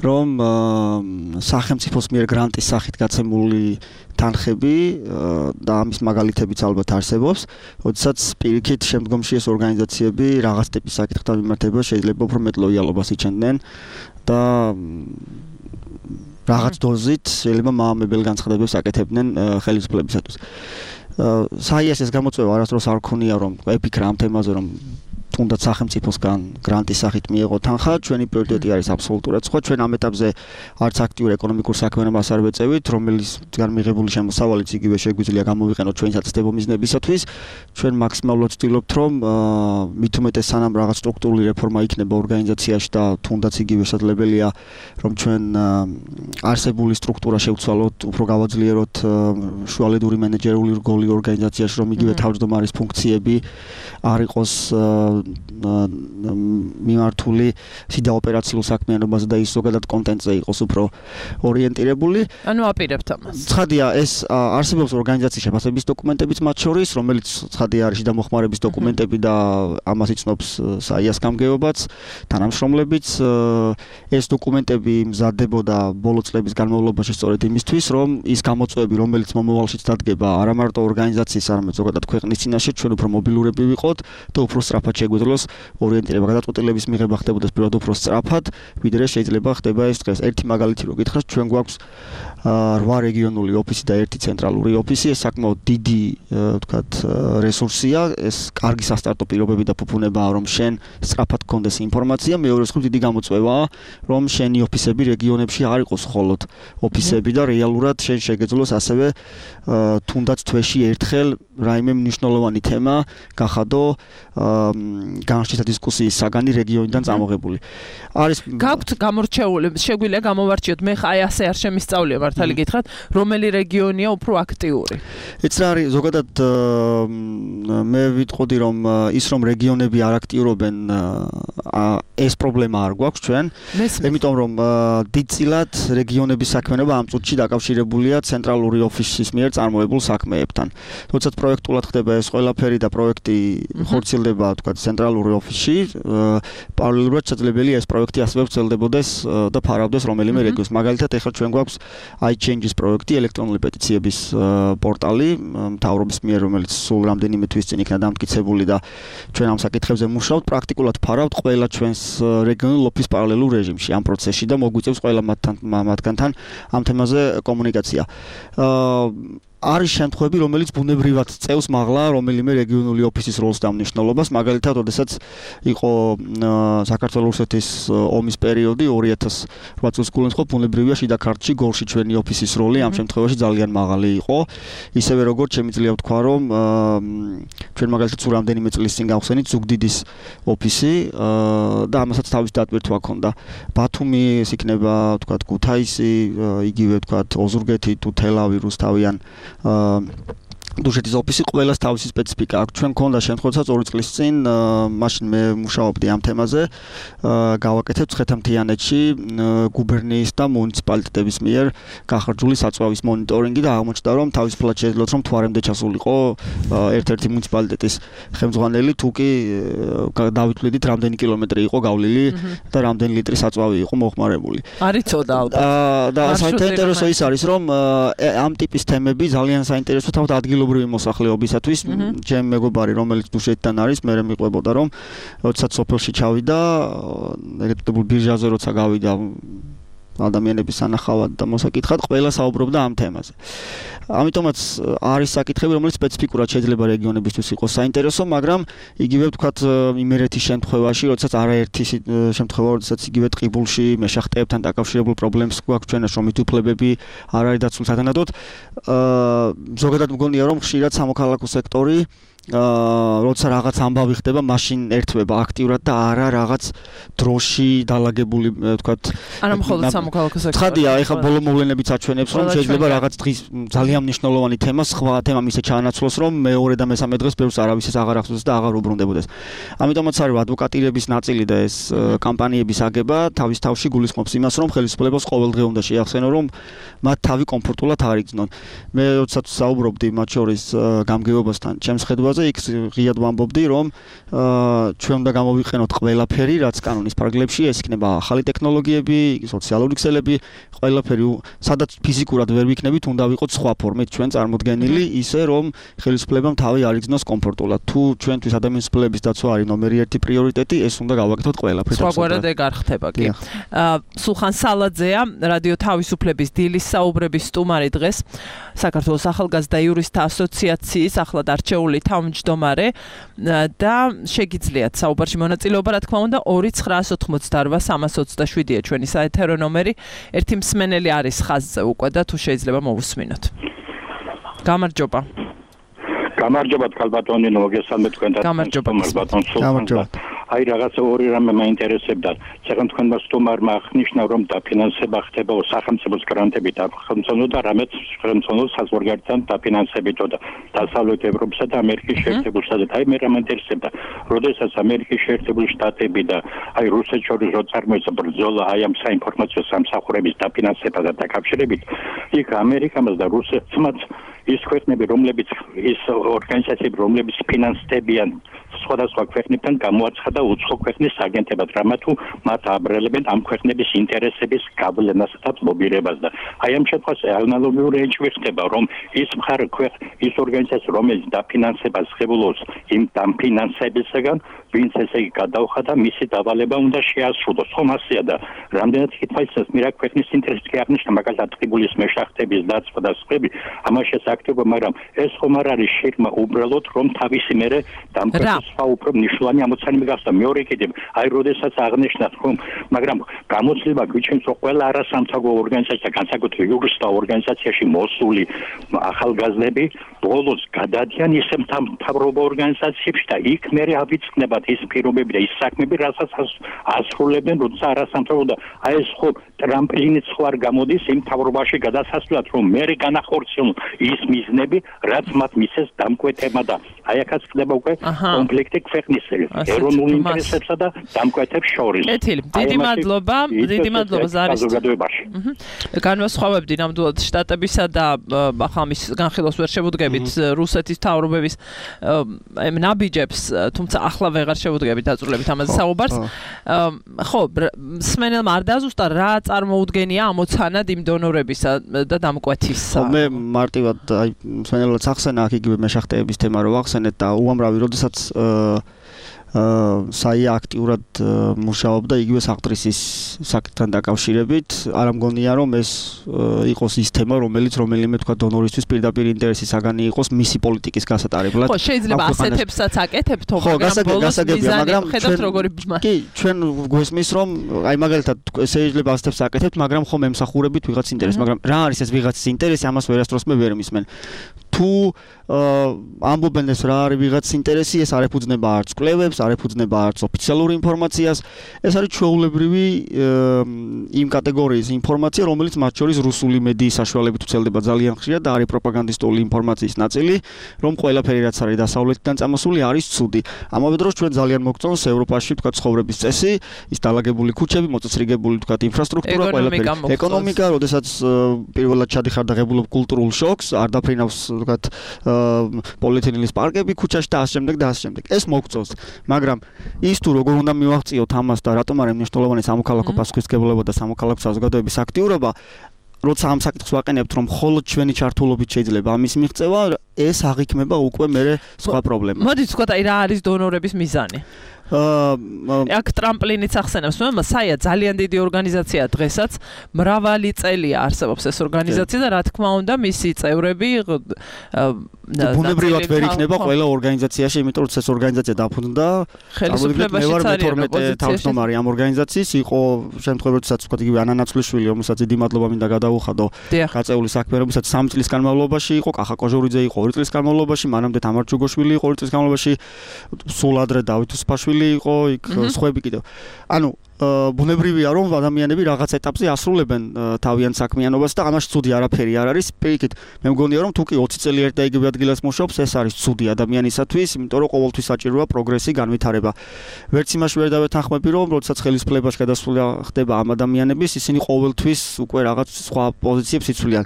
[SPEAKER 10] რომ სახელმწიფოს მიერ გრანტის სახით გაცემული თანხები და ამის მაგალითებიც ალბათ არსებობს, როდესაც პირიქით შემდგომში ეს ორგანიზაციები რაღაც ტიპის საკითხთან მიმართება შეიძლება უფრო მეტ ლოიალობას იჩენდნენ და რაღაც დოზით შეიძლება მაამებელ განცხადებებს აკეთებდნენ ხელისუფლებისათვის. საიას ეს გამოწვევა არასდროს არ ქონია რომ ეფიქრა ამ თემაზე რომ თუნდაც სახელმწიფოსგან გრანტის სახით მიიღო თანხა, ჩვენი პრიორიტეტი არის აბსოლუტურად სხვა. ჩვენ ამ ეტაპზე არც აქტიურ ეკონომიკურ საქმიანობას არ ვეწევით, რომელისგან მიღებული შემოსავალიც იგივე შეგვიძლია გამოვიყენოთ ჩვენი საცდებო მიზნებისათვის. ჩვენ მაქსიმალურად ვცდილობთ, რომ მით უმეტეს სანამ რაღაც სტრუქტურული რეფორმა იქნება ორგანიზაციაში და თუნდაც იგივე შესაძლებელია, რომ ჩვენ არსებული სტრუქტურა შევცვალოთ, უფრო გავაძლიეროთ შუალედური მენეჯერული რგოლი ორგანიზაციაში, რომ იგივე თავმჯდომარის ფუნქციები არ იყოს მიმართული სიდა ოპერაციულ საქმიანობაზე და ის ზოგადად კონტენტზე იყოს უფრო ორიენტირებული.
[SPEAKER 2] ანუ აპირებთ ამას.
[SPEAKER 10] ცხადია, ეს არსებობს ორგანიზაციის შეფასების დოკუმენტებიც მათ შორის, რომელიც ცხადია არის შიდა მოხმარების დოკუმენტები და ამას იცნობს საიას გამგეობაც, თანამშრომლებიც. ეს დოკუმენტები მზადდებოდა ბოლო წლების განმავლობაში სწორედ იმისთვის, რომ ის გამოწვევები, რომელიც მომავალშიც დადგება არა მარტო ორგანიზაციის, არამედ ზოგადად ქვეყნის წინაშე, ჩვენ უფრო მობილურები ვიყოთ და უფრო სწრაფად შეგვეძლო შესაძლოს ორიენტირება გადაწყვეტილების მიღება ხდებოდეს პირველად უფრო სწრაფად, ვიდრე შეიძლება ხდება ეს დღეს. ერთი მაგალითი რო გითხრათ, ჩვენ გვაქვს რვა რეგიონული ოფისი და ერთი ცენტრალური ოფისი, ეს საკმაოდ დიდი, ვთქვათ, რესურსია, ეს კარგი სასტარტო პირობები და ფუფუნებაა, რომ შენ სწრაფად გქონდეს ინფორმაცია, მეორე მხრივ დიდი გამოწვევაა, რომ შენი ოფისები რეგიონებში არ იყოს მხოლოდ ოფისები და რეალურად შენ შეგეძლოს ასევე თუნდაც თვეში ერთხელ რაიმე მნიშვნელოვანი თემა გახადო განხილვა დისკუსიის საგანი რეგიონიდან წამოღებული. არის
[SPEAKER 2] გაქვთ გამორჩეული, შეგვიძლია გამოვარჩიოთ, მე ხა აი ასე არ შემისწავლია მართალი გითხრათ, რომელი რეგიონია უფრო აქტიური.
[SPEAKER 10] ეს რა არის ზოგადად მე ვიტყოდი რომ ის რომ რეგიონები არ აქტიურობენ ეს პრობლემა არ გვაქვს ჩვენ, იმიტომ რომ დიდწილად რეგიონების საქმიანობა ამ წუთში დაკავშირებულია ცენტრალური ოფისის მიერ წარმოებულ საქმეებთან. როდესაც პროექტულად ხდება ეს ყველაფერი და პროექტი ხორციელდება, თქვა ცენტრალური ოფისში, პარალელურად შესაძლებელია ეს პროექტი ასევე ვრცელდებოდეს და ფარავდეს რომელიმე რეგიონს. მაგალითად, ეხლა ჩვენ გვაქვს iChange-ის პროექტი, ელექტრონული პეტიციების პორტალი, მთავრობის მიერ, რომელიც სულ რამდენიმე თვის წინ იქნა დამტკიცებული და ჩვენ ამ საკითხებზე მუშაობთ, პრაქტიკულად ფარავთ ყველა ჩვენს რეგიონულ ოფისს პარალელურ რეჟიმში ამ პროცესში და მოგვიწევს ყველა მათთან მათგანთან ამ თემაზე კომუნიკაცია. არის შემთხვევები, რომელიც ბუნებრივად წევს მაღლა რომელიმე რეგიონული ოფისის როლს და მნიშვნელობას, მაგალითად, როდესაც იყო საქართველოს რუსეთის ომის პერიოდი ორი ათას ოთხ წელს გულისხმობ, ბუნებრივია შიდა ქართლში გორში ჩვენი ოფისის როლი ამ შემთხვევაში ძალიან მაღალი იყო. ისევე როგორც შემიძლია ვთქვა, რომ ჩვენ მაგალითად სულ რამდენიმე წლის წინ გავხსენით ზუგდიდის ოფისი და ამასაც თავის დატვირთვა ჰქონდა. ბათუმი ეს იქნება, ვთქვათ, ქუთაისი, იგივე ვთქვათ, ოზურგეთი თუ თელავი, რუსთავი ან დუშეთის ოფისი ყველას თავისი სპეციფიკა აქვს. ჩვენ გქონდა შემთხვევაც ორი წლის წინ, მაშინ მე მუშაობდი ამ თემაზე, გავაკეთებ ცხეთამთიანეთში გუბერნიის და მუნიციპალიტეტების მიერ გახარჯული საწვავის მონიტორინგი და აღმოჩნდა, რომ თავისუფლად შეძლოთ, რომ თვარემდე ჩასულიყო ერთ-ერთი მუნიციპალიტეტის ხელმძღვანელი, თუ კი დავითვლიდით, რამდენი კილომეტრი იყო გავლილი და რამდენი ლიტრი საწვავი იყო მოხმარებული.
[SPEAKER 2] არის ცოდა ალბათ.
[SPEAKER 10] და საინტერესო ის არის, რომ ამ ტიპის თემები ძალიან საინტერესო თავად ადგილობრივი მოსახლეობისათვის. ჩემი მეგობარი, რომელიც დუშეთიდან არის, მე მეყვებოდა, რომ როდესაც სოფელში ჩავიდა, ეგეთებულ ბირჟაზე როცა გავიდა ადამიანების სანახავად და მოსაკითხად, ყველა საუბრობდა ამ თემაზე. ამიტომაც არის საკითხები, რომელიც სპეციფიკურად შეიძლება რეგიონებისთვის იყოს საინტერესო, მაგრამ იგივე ვთქვათ იმერეთის შემთხვევაში, როდესაც არაერთი შემთხვევა, როდესაც იგივე ტყიბულში მეშახტეებთან დაკავშირებულ პრობლემებს გვაქვს ჩვენას, რომ მითუფლებები არ არის დაცული სათანადოდ. ზოგადად მგონია, რომ ხშირად სამოქალაქო სექტორი აა როცა რაღაც ამბავი ხდება, მაშინ ერთვება აქტიურად და არა რაღაც დროში დალაგებული, ვთქვათ,
[SPEAKER 2] არა მხოლოდ სამოქალაქო სექტორი.
[SPEAKER 10] ცხადია, ეხლა ბოლო მოვლენებიც აჩვენებს, რომ შეიძლება რაღაც დღის ძალიან მნიშვნელოვანი თემა, სხვა თემა მისე ჩაანაცვლოს, რომ მეორე და მესამე დღეს ბევრს არავის ეს აღარ ახსოვს და აღარ უბრუნდებოდეს. ამიტომაც არის ადვოკატირების ნაწილი და ეს კამპანიების აგება თავის თავში გულისხმობს იმას, რომ ხელისუფლებას ყოველდღე უნდა შეახსენო, რომ მათ თავი კომფორტულად არ იგრძნონ. მე როდესაც საუბრობდი მათ შორის გამგეობასთან, ჩემს ხედვაზე იქ ღიად ვამბობდი, რომ ჩვენ უნდა გამოვიყენოთ ყველაფერი, რაც კანონის ფარგლებში, ეს იქნება ახალი ტექნოლოგიები, სოციალური ქსელები, ყველაფერი, სადაც ფიზიკურად ვერ ვიქნებით, უნდა ვიყოთ სხვა ფორმით ჩვენ წარმოდგენილი, ისე რომ ხელისუფლებამ თავი არ იგრძნოს კომფორტულად. თუ ჩვენთვის ადამიანის უფლებების დაცვა არის ნომერი ერთი პრიორიტეტი, ეს უნდა გავაკეთოთ ყველაფერს.
[SPEAKER 2] სხვაგვარად ეგ არ ხდება კი. სულხან სალაძეა, რადიო თავისუფლების დილის საუბრების სტუმარი დღეს, საქართველოს ახალგაზრდა იურისტთა ასოციაციის ახლად არჩეული თავმჯდომარე და შეგიძლიათ საუბარში მონაწილეობა, რა თქმა უნდა, ორი ცხრაას ოთხმოცდაორვა სამას ოცდაშვიდია ჩვენი საეთერო ნომერი. ერთი მსმენელი არის ხაზზე უკვე და თუ შეიძლება მოვუსმინოთ. გამარჯობა.
[SPEAKER 11] გამარჯობა თქალბატონი, მოგესალმებით თქვენთან.
[SPEAKER 2] გამარჯობა
[SPEAKER 11] ბატონ სულხან. აი რაღაცა ორი რამე მაინტერესებდა. ცეხან თქვენმა სტუმარმა აღნიშნა, რომ დაფინანსება ხდება სახელმწიფოს გრანტებით, სახელმწიფო და რამეც სახელმწიფო საზღვარგარეთთან დაფინანსებითო და დასავლეთ ევროპასა და ამერიკის შეერთებულ შტატებთან. აი მე რა მაინტერესებდა, როდესაც ამერიკის შეერთებული შტატები და აი რუსეთს შორის რო წარმოიქმნა ბრძოლა აი ამ საინფორმაციო სამსახურების დაფინანსებასთან და დაკავშირებით, იქ ამერიკამაც და რუსეთმაც ის ქვეყნები, რომლებიც ის ორგანიზაციები, რომლებიც ფინანსდებიან სხვადასხვა ქვეყნებთან გამოაცხადა უცხო ქვეყნის აგენტებად, რამა თუ მათ აბრალებენ ამ ქვეყნების ინტერესების გავლენას და ლობირებას და აი ამ შემთხვევაში ანალოგიური ენჭვი ხდება, რომ ის მხარე ქვეყ ის ორგანიზაცია, რომელიც დაფინანსებას ღებულობს იმ დაფინანსებისგან, ვინც ესე იგი გადაუხადა, მისი დავალება უნდა შეასრულოს. ხომ ასეა და რამდენად კითხვაიცას მირა ქვეყნის ინტერესს კი აღნიშნა, მაგალითად ტყიბულის მეშახტების დაცვა და სხვები, ამაში აქტიობა, მაგრამ ეს ხომ არ არის შირმა უბრალოდ რომ თავისი მერე დამკვეთის სხვა უფრო მნიშვნელოვანი ამოცანები გახდა. მეორე კიდევ, აი როდესაც აღნიშნათ, რომ მაგრამ გამოცდილება გვიჩვენს, რომ ყველა არასამთავრობო ორგანიზაცია, განსაკუთრებით იურისტთა ორგანიზაციაში მოსული ახალგაზრდები ბოლოს გადადიან ისე მთავრობო ორგანიზაციებში და იქ მერე ავიწყნებათ ის პირობები და ის საქმეები, რასაც ასრულებენ, როცა არასამთავრობო და აი ეს ხო ტრამპლინიც ხო არ გამოდის იმ მთავრობაში გადასასვლელად, რომ მერე განახორციელონ ის მიზნები, რაც მათ მისცეს დამკვეთებმა და აი აქაც ხდება უკვე კონფლიქტი ქვეყნის ეროვნულ ინტერესებსა და დამკვეთებს შორის.
[SPEAKER 2] კეთილი, დიდი მადლობა, დიდი მადლობა ზარის. განვასხვავებდი ნამდვილად შტატებისა და ახლა მის განხილვას ვერ შევუდგებით რუსეთის მთავრობების ნაბიჯებს, თუმცა ახლა ვეღარ შევუდგებით დაწვრილებით ამაზე საუბარს. ხო, სმენელმა არ დააზუსტა რა წარმოუდგენია ამოცანად იმ დონორებისა და დამკვეთისა.
[SPEAKER 10] მე მარტივად აი სმენელად ახსენა აქ იგივე მეშახტეების თემა რო ახსენეთ და უამრავი როდესაც საია აქტიურად მუშაობდა იგივე საყდრისის საკითხთან დაკავშირებით. არ მგონია რომ ეს იყოს ის თემა, რომელიც რომელიმე თქვა დონორისთვის პირდაპირ ინტერესის საგანი იყოს მისი პოლიტიკის გასატარებლად.
[SPEAKER 2] ხო, შეიძლება ასეთებსაც აკეთებთ, მაგრამ ბოლოს მიზანი ხედავთ როგორი ბმა.
[SPEAKER 10] კი, ჩვენ გვესმის რომ აი მაგალითად შეიძლება ასეთებს აკეთებთ, მაგრამ ხომ ემსახურებით ვიღაც ინტერესს, მაგრამ რა არის ეს ვიღაცის ინტერესი, ამას ვერასდროს მე ვერ მისმენ. თუ ამბობენ ეს რა არის ვიღაცის ინტერესი, ეს არ ეფუძნება არც კვლევებს, არ ეფუძნება არც ოფიციალურ ინფორმაციას. ეს არის ჩვეულებრივი იმ კატეგორიის ინფორმაცია, რომელიც მათ შორის რუსული მედიის საშუალებით ვრცელდება ძალიან ხშირად და არის პროპაგანდისტული ინფორმაციის ნაწილი, რომ ყველაფერი რაც არის დასავლეთიდან წამოსული არის ცუდი. ამავე დროს ჩვენ ძალიან მოგწონს ევროპაში თქვა ცხოვრების წესი, ის დალაგებული ქუჩები, მოწესრიგებული თქვა ინფრასტრუქტურა, ყველაფერი. ეკონომიკა, როდესაც პირველად ჩადიხარ და ღებულობ კულტურულ შოკს, არ დაფრინავს თქვა პოლიეთილენის პარკები ქუჩაში და ასე შემდეგ და ასე შემდეგ. ეს მოგწონს. მაგრამ ის თუ როგორ უნდა მივაღწიოთ ამას და რატომ არის მნიშვნელოვანი სამოქალაქო პასუხისმგებლობა და სამოქალაქო საზოგადოების აქტიურობა, როცა ამ საკითხს ვაყენებთ, რომ მხოლოდ ჩვენი ჩართულობით შეიძლება ამის მიღწევა, ეს აღიქმება უკვე მერე სხვა პრობლემა.
[SPEAKER 2] მოდით ვთქვათ, აი რა არის დონორების მიზანი? აქ ტრამპლინიც ახსენებს, მაგრამ საია ძალიან დიდი ორგანიზაციაა დღესაც, მრავალი წელია არსებობს ეს ორგანიზაცია და რა თქმა უნდა მისი წევრები
[SPEAKER 10] ბუნებრივად ვერ იქნება ყველა ორგანიზაციაში, იმიტომ რომ ეს ორგანიზაცია დაფუძნდა
[SPEAKER 2] ხელისუფლებაშიც არის
[SPEAKER 10] თავმჯდომარე ამ ორგანიზაციის, იყო შემთხვევებსაც ვთქვათ იგივე ანანაცვლიშვილი, რომელსაც დიდი მადლობა მინდა გადაუხადო გაწეული საქმე, რომელსაც სამი წლის განმავლობაში იყო, კახა კოჟორიძე იყო ორი წლის განმავლობაში, მანამდე თამარ ჯუგოშვილი იყო ორი წლის განმავლობაში, სულ ადრე დავით უსფაშვილი იყო იქ სხვები კიდევ. ანუ ბუნებრივია რომ ადამიანები რაღაც ეტაპზე ასრულებენ თავიანთ საქმიანობას და ამაში ცუდი არაფერი არ არის. პირიქით, მე მგონია რომ თუ კი ოცი წელი ერთ და იგივე ადგილას მუშაობს, ეს არის ცუდი ადამიანისათვის, იმიტომ რომ ყოველთვის საჭიროა პროგრესი, განვითარება. ვერც იმაში ვერ დავეთანხმები რომ როდესაც ხელისუფლებაში გადასვლა ხდება ამ ადამიანების, ისინი ყოველთვის უკვე რაღაც სხვა პოზიციებს იცვლიან.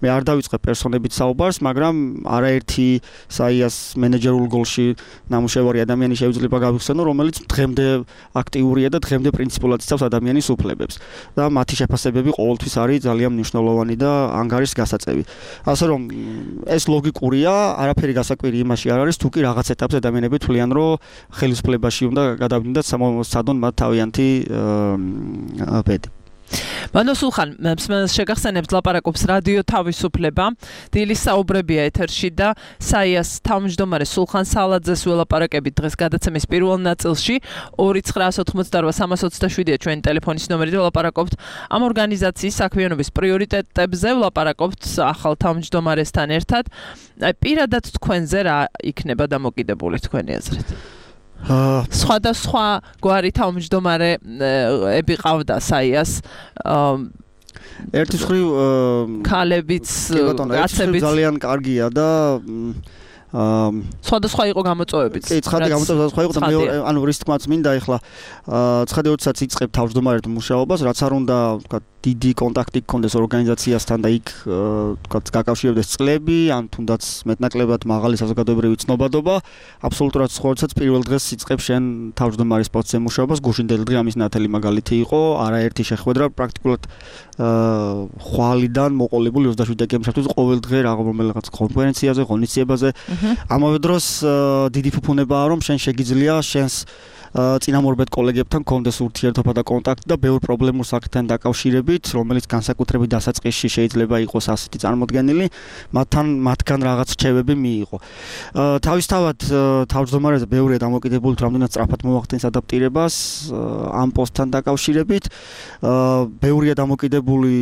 [SPEAKER 10] მე არ დავიწყებ პერსონებით საუბარს, მაგრამ არაერთი საიას მენეჯერულ გოლში ნამუშევარი ადამიანი შეიძლება გავიხსენო, რომელიც დღემდე აქტიურია და დღემდე პრინციპულად იცავს ადამიანის უფლებებს და მათი შეფასებები ყოველთვის არის ძალიან მნიშვნელოვანი და ანგარის გასაწევი. ასე რომ ეს ლოგიკურია, არაფერი გასაკვირი იმაში არ არის, თუ კი რაღაც ეტაპზე ადამიანები თვლიან, რომ ხელისუფლებაში უნდა გადავიდნენ და სცადონ მათ თავიანთი ბედი.
[SPEAKER 2] მანო სულხან, შეგახსენებთ ლაპარაკობს რადიო თავისუფლება, დილის საუბრებია ეთერში და საიას თავმჯდომარე სულხან სალაძეს ველაპარაკებით დღეს გადაცემის პირველ ნაწილში. ორი ცხრაას ოთხმოცდაორვა სამას ოცდაშვიდია ჩვენი ტელეფონის ნომერი და ველაპარაკობთ ამ ორგანიზაციის საქმიანობის პრიორიტეტებზე, ველაპარაკობთ ახალ თავმჯდომარესთან ერთად. პირადად თქვენზე რა იქნება დამოკიდებული თქვენი აზრით? სხვადასხვა გვარი თავმჯდომარეები ყავდა საიას.
[SPEAKER 10] ერთის მხრივ
[SPEAKER 2] ქალებიც,
[SPEAKER 10] კაცებიც ძალიან კარგია და
[SPEAKER 2] სხვადასხვა იყო გამოწვევებიც.
[SPEAKER 10] კი, ცხადი გამოწვევებიც სხვა იყო და მეორე ანუ რის თქმაც მინდა ეხლა ცხადი როდესაც იწყებ თავმჯდომარედ მუშაობას, რაც არ უნდა ვთქვათ დიდი კონტაქტი გქონდეს ორგანიზაციასთან და იქ ვთქვათ გაკავშირებდეს წლები, ან თუნდაც მეტნაკლებად მაღალი საზოგადოებრივი ცნობადობა, აბსოლუტურად სხვა როდესაც პირველ დღეს იწყებ შენ თავმჯდომარის პოსტზე მუშაობას, გუშინდელი დღე ამის ნათელი მაგალითი იყო, არაერთი შეხვედრა პრაქტიკულად ხვალიდან მოყოლებული ოცდაშვიდი დეკემბრისთვის ყოველ დღე რაღაც კონფერენციაზე, ღონისძიებაზე. ამავე დროს დიდი ფუფუნებაა რომ შენ შეგიძლია შენს წინამორბედ კოლეგებთან კონდეს ურთიერთობა და კონტაქტი და ბევრ პრობლემურ საკითხთან დაკავშირებით, რომელიც განსაკუთრებით დასაწყისში შეიძლება იყოს ასეთი წარმოდგენილი, მათთან მათგან რაღაც რჩევები მიიღო. თავისთავად თავმჯდომარეზე ბევრია დამოკიდებული რამდენად სწრაფად მოახდენს ადაპტირებას ამ პოსტთან დაკავშირებით. ბევრია დამოკიდებული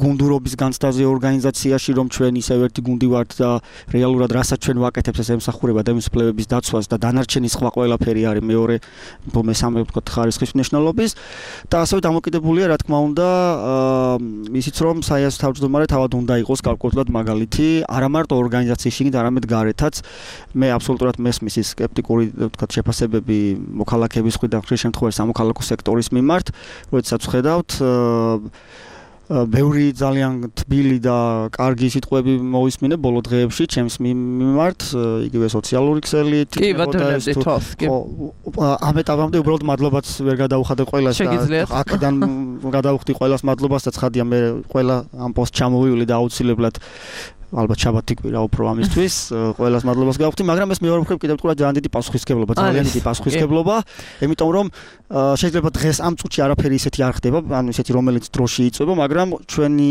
[SPEAKER 10] გუნდურობის განცდაზე ორგანიზაციაში, რომ ჩვენ ისევ ერთი გუნდი ვართ და რეალურად რასაც ჩვენ ვაკეთებთ, ეს ემსახურება დემისფლებების დაცვას და დანარჩენი სხვა ყველა ფერი არის მეორე მესამე ვთქვათ ხარისხის მნიშვნელობის და ასევე დამოკიდებულია რა თქმა უნდა ისიც რომ საიას თავმჯდომარე თავად უნდა იყოს გარკვეულად მაგალითი არა მარტო ორგანიზაციის შიგნით არამედ გარეთაც მე აბსოლუტურად მესმის ის სკეპტიკური ვთქვათ შეფასებები მოქალაქეების მხრიდან ხშირ შემთხვევაში სამოქალაქო სექტორის მიმართ როდესაც ვხედავთ ბევრი ძალიან თბილი და კარგი სიტყვები მოვისმინე ბოლო დღეებში ჩემს მიმართ იგივე სოციალური ქსელით
[SPEAKER 2] კი ბატონებდი თვალს კი
[SPEAKER 10] ამ ეტაპამდე უბრალოდ მადლობაც ვერ გადავხადე ყველას და აქედან გადავხდი ყველას მადლობას და ცხადია მე ყველა ამ პოსტ ჩამოვივლი და აუცილებლად ალბათ შაბათი კვირა უფრო ამისთვის ყველას მადლობას გავხდი მაგრამ ეს მეორე მხრივ კიდევ თქვა ძალიან დიდი პასუხისმგებლობა ძალიან დიდი პასუხისმგებლობა იმიტომ რომ შეიძლება დღეს ამ წუთში არაფერი ისეთი არ ხდება ანუ ისეთი რომელიც დროში იწვება მაგრამ ჩვენი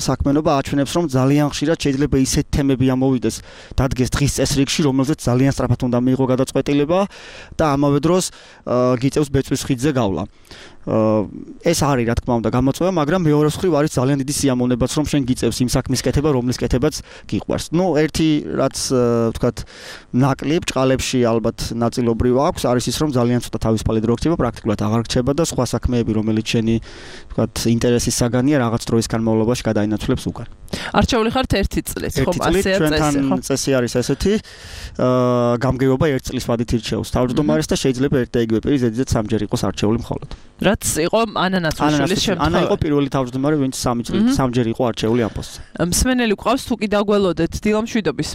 [SPEAKER 10] საქმიანობა აჩვენებს რომ ძალიან ხშირად შეიძლება ისეთ თემები ამოვიდეს დადგეს დღის წესრიგში რომელზეც ძალიან სწრაფად უნდა მიიღო გადაწყვეტილება და ამავე დროს გიწევს ბეწვის ხიდზე გავლა ეს არის რა თქმა უნდა გამოწვევა, მაგრამ მეორე მხრივ არის ძალიან დიდი სიამოვნებაც რომ შენ გიწევს იმ საქმის კეთება, რომლის კეთებაც გიყვარს. ნუ ერთი რაც ვთქვათ ნაკლი ბჭყალებში ალბათ ნაწილობრივ აქვს, არის ის რომ ძალიან ცოტა თავისუფალი დრო რჩება, პრაქტიკულად აღარ რჩება და სხვა საქმეები, რომელიც შენი ვთქვათ ინტერესის საგანია, რაღაც დროის განმავლობაში გადაინაცვლებს უკან.
[SPEAKER 2] არჩეული ხართ ერთი წლის, ხო, ასეა წესი, ხო?
[SPEAKER 10] წესი არის ესეთი, აა გამგეობა ერთ წლის ვადით ირჩევს თავმჯდომარეს და შეიძლება ერთ და იგივე პირი ზედიზედ სამჯერ იყოს არჩეული მხოლოდ.
[SPEAKER 2] რაც იყო ანა ნაცვალიშვილის შემთხვევა.
[SPEAKER 10] ანა იყო პირველი თავმჯდომარე, ვინც სამი წელი სამჯერ იყო არჩეული ამ პოსტზე.
[SPEAKER 2] მსმენელი გვყავს თუ კი დაგველოდეთ დილამშვიდობის.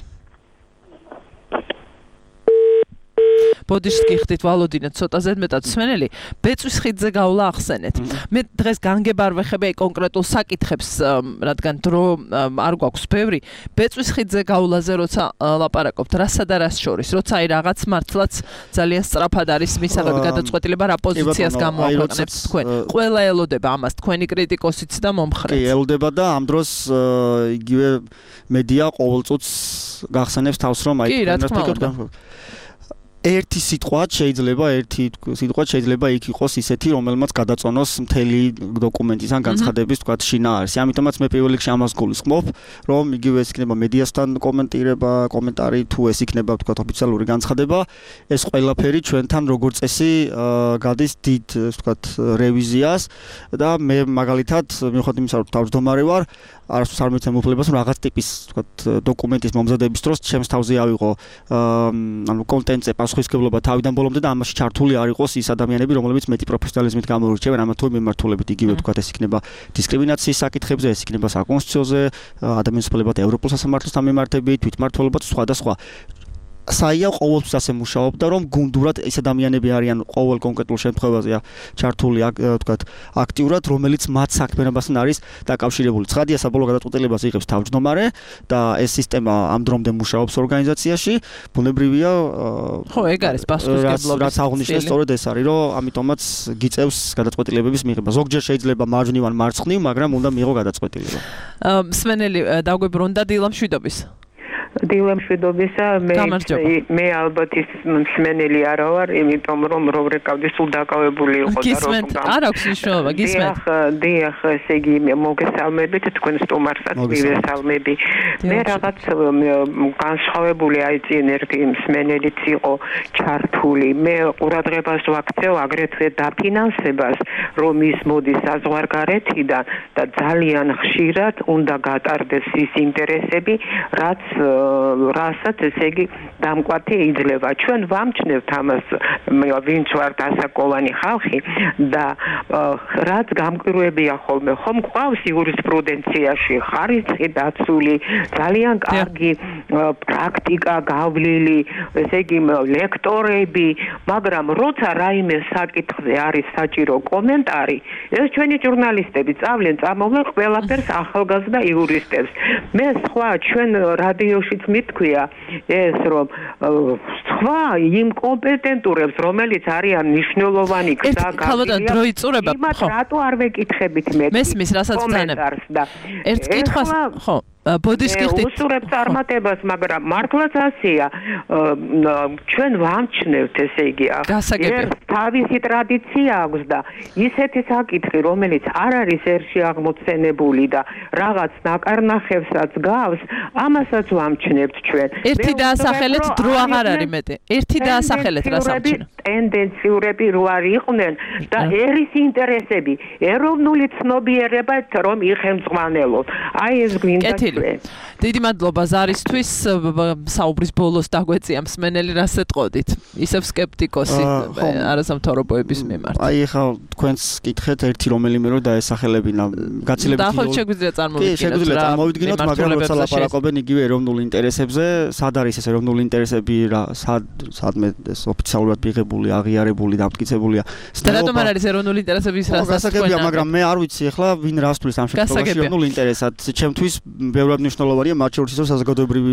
[SPEAKER 2] ბოდიშს გიხდით ვალოდინეთ ცოტა ზედმეტად მსმენელი ბეწვის ხიდზე გავლა ახსენეთ. მე დღეს განგება არ ვეხები აი კონკრეტულ საკითხებს, რადგან დრო არ გვაქვს ბევრი. ბეწვის ხიდზე გავლაზე როცა ლაპარაკობთ, რასა და რას შორის, როცა აი რაღაც მართლაც ძალიან სწრაფად არის მისაღები გადაწყვეტილება რა პოზიციას გამოაქვეყნებთ თქვენ. ყველა ელოდება ამას, თქვენი კრიტიკოსიც და მომხრეც.
[SPEAKER 10] კი, ელოდება და ამ დროს იგივე მედია ყოველწუთს გახსენებს თავს რომ აი თქვენ ერთი სიტყვა შეიძლება ერთი სიტყვა შეიძლება იქ იყოს ისეთი რომელმაც გადაწონოს მთელი დოკუმენტის ან განცხადების თქვა შინაარსი. ამიტომაც მე პირველ რიგში ამას გულისხმობ, რომ იგივე ეს იქნება მედიასთან კომენტირება, კომენტარი თუ ეს იქნება თქვა ოფიციალური განცხადება, ეს ყველაფერი ჩვენთან როგორც წესი გადის დიდ თქვა რევიზიას და მე მაგალითად მიუხედავად იმისა, რომ თავმჯდომარე ვარ, არასდროს არ მიცემ უფლებას, რომ რაღაც ტიპის თქვა დოკუმენტის მომზადების დროს ჩემს თავზე ავიღო ანუ კონტენტზე პასუხისმგებლობა თავიდან ბოლომდე და ამაში ჩართული არ იყოს ის ადამიანები, რომლებიც მეტი პროფესიონალიზმით გამოირჩევენ ამა თუ იმ მიმართულებით, იგივე თქვა ეს იქნება დისკრიმინაციის საკითხებზე, ეს იქნება საკონსტიტუციოზე, ადამიანის უფლებათა ევროპულ სასამართლოსთან მიმართებით, თვითმმართველობაც სხვა და სხვა. საია ყოველთვის ასე მუშაობდა, რომ გუნდურად ეს ადამიანები არიან ყოველ კონკრეტულ შემთხვევაზე ჩართული, ვთქვათ, აქტიურად, რომელიც მათ საქმიანობასთან არის დაკავშირებული. ცხადია, საბოლოო გადაწყვეტილებას იღებს თავმჯდომარე და ეს სისტემა ამ დრომდე მუშაობს ორგანიზაციაში. ბუნებრივია,
[SPEAKER 2] ხო, ეგ არის პასუხისმგებლობის.
[SPEAKER 10] რაც აღნიშნეს, სწორედ ეს არის, რომ ამიტომაც გიწევს გადაწყვეტილებების მიღება. ზოგჯერ შეიძლება მარჯვნივ ან მარცხნივ, მაგრამ უნდა მიიღო გადაწყვეტილება.
[SPEAKER 2] მსმენელი დაგვიბრუნდა დილამშვიდობის.
[SPEAKER 12] დილამშვიდობისა მე მე ალბათ ის მსმენელი არა ვარ, იმიტომ რომ რო რეკავდი სულ დაკავებული იყო და რომ
[SPEAKER 2] არ აქვს მნიშვნელობა, გისმენთ.
[SPEAKER 12] დიახ, ესე იგი მოგესალმებით თქვენ სტუმარსაც მივესალმები. მე რაღაც განსხვავებული აი წინ ერთი მსმენელიც იყო ჩართული. მე ყურადღებას ვაქცევ აგრეთვე დაფინანსებას, რომ ის მოდის საზღვარგარეთიდან და ძალიან ხშირად უნდა გატარდეს ის ინტერესები, რაც რასაც ესე იგი დამკვათი იძლევა. ჩვენ ვამჩნევთ ამას, ვინც ვართ ასაკოვანი ხალხი და რაც გამკვირვებია ხოლმე, ხომ გვყავს იურისპრუდენციაში ხარისხი დაცული, ძალიან კარგი პრაქტიკა გავლილი, ესე იგი ლექტორები, მაგრამ როცა რაიმე საკითხზე არის საჭირო კომენტარი, ეს ჩვენი ჟურნალისტები წავლენ წამოვლენ ყველაფერს ახალგაზრდა იურისტებს. მე სხვა ჩვენ რადიოშიც მithქვია ეს რომ სხვა იმ კომპეტენტურებს რომელიც არიან მნიშვნელოვანი გზა
[SPEAKER 2] გავიწყდება
[SPEAKER 12] იმათ რატო არ ვეკითხებით მე
[SPEAKER 2] მესმის რასაც ბრძანებ ერთ კითხვას ხო ბოდის კითხით
[SPEAKER 12] უსურებ წარმატებას მაგრამ მართლაც ასეა ჩვენ ვამჩნევთ ესე იგი ეს თავისი ტრადიცია აქვს და ისეთი საკითხი რომელიც არ არის ერში აღმოცენებული და რაღაც ნაკარნახევსაც გავს ამასაც ვამჩნევთ ჩვენ
[SPEAKER 2] ერთი დაასახელეთ დრო აღარ არის მეტი ერთი დაასახელეთ რას ამჩნევ
[SPEAKER 12] ტენდენციურები რო არ იყვნენ და ერის ინტერესები ეროვნული ცნობიერება რომ იხელმძღვანელოთ აი ეს გვინდა
[SPEAKER 2] დიდი მადლობა ზარისთვის საუბრის ბოლოს დაგვეწია მსმენელი რას ეთყოდით ისევ სკეპტიკოსი არასამთავრობოების მიმართ
[SPEAKER 10] აი ხა თქვენს კითხეთ ერთი რომელიმე რო დაესახელებინა გაცილებით
[SPEAKER 2] და ხო შეგვიძლია წარმოვიდგინოთ
[SPEAKER 10] კი შეგვიძლია წარმოვიდგინოთ მაგრამ როცა ლაპარაკობენ იგივე ეროვნულ ინტერესებზე სად არის ეს ეროვნული ინტერესები რა სად სადმე ეს ოფიციალურად მიღებული აღიარებული დამტკიცებულია
[SPEAKER 2] და რატომ არ არის ეროვნული ინტერესების რას
[SPEAKER 10] გასაგებია მაგრამ მე არ ვიცი ახლა ვინ რას თulis ამ შემთხვევაში ეროვნული ინტერესად ჩემთვის ბევრად მნიშვნელოვანია მათ შორის რომ საზოგადოებრივი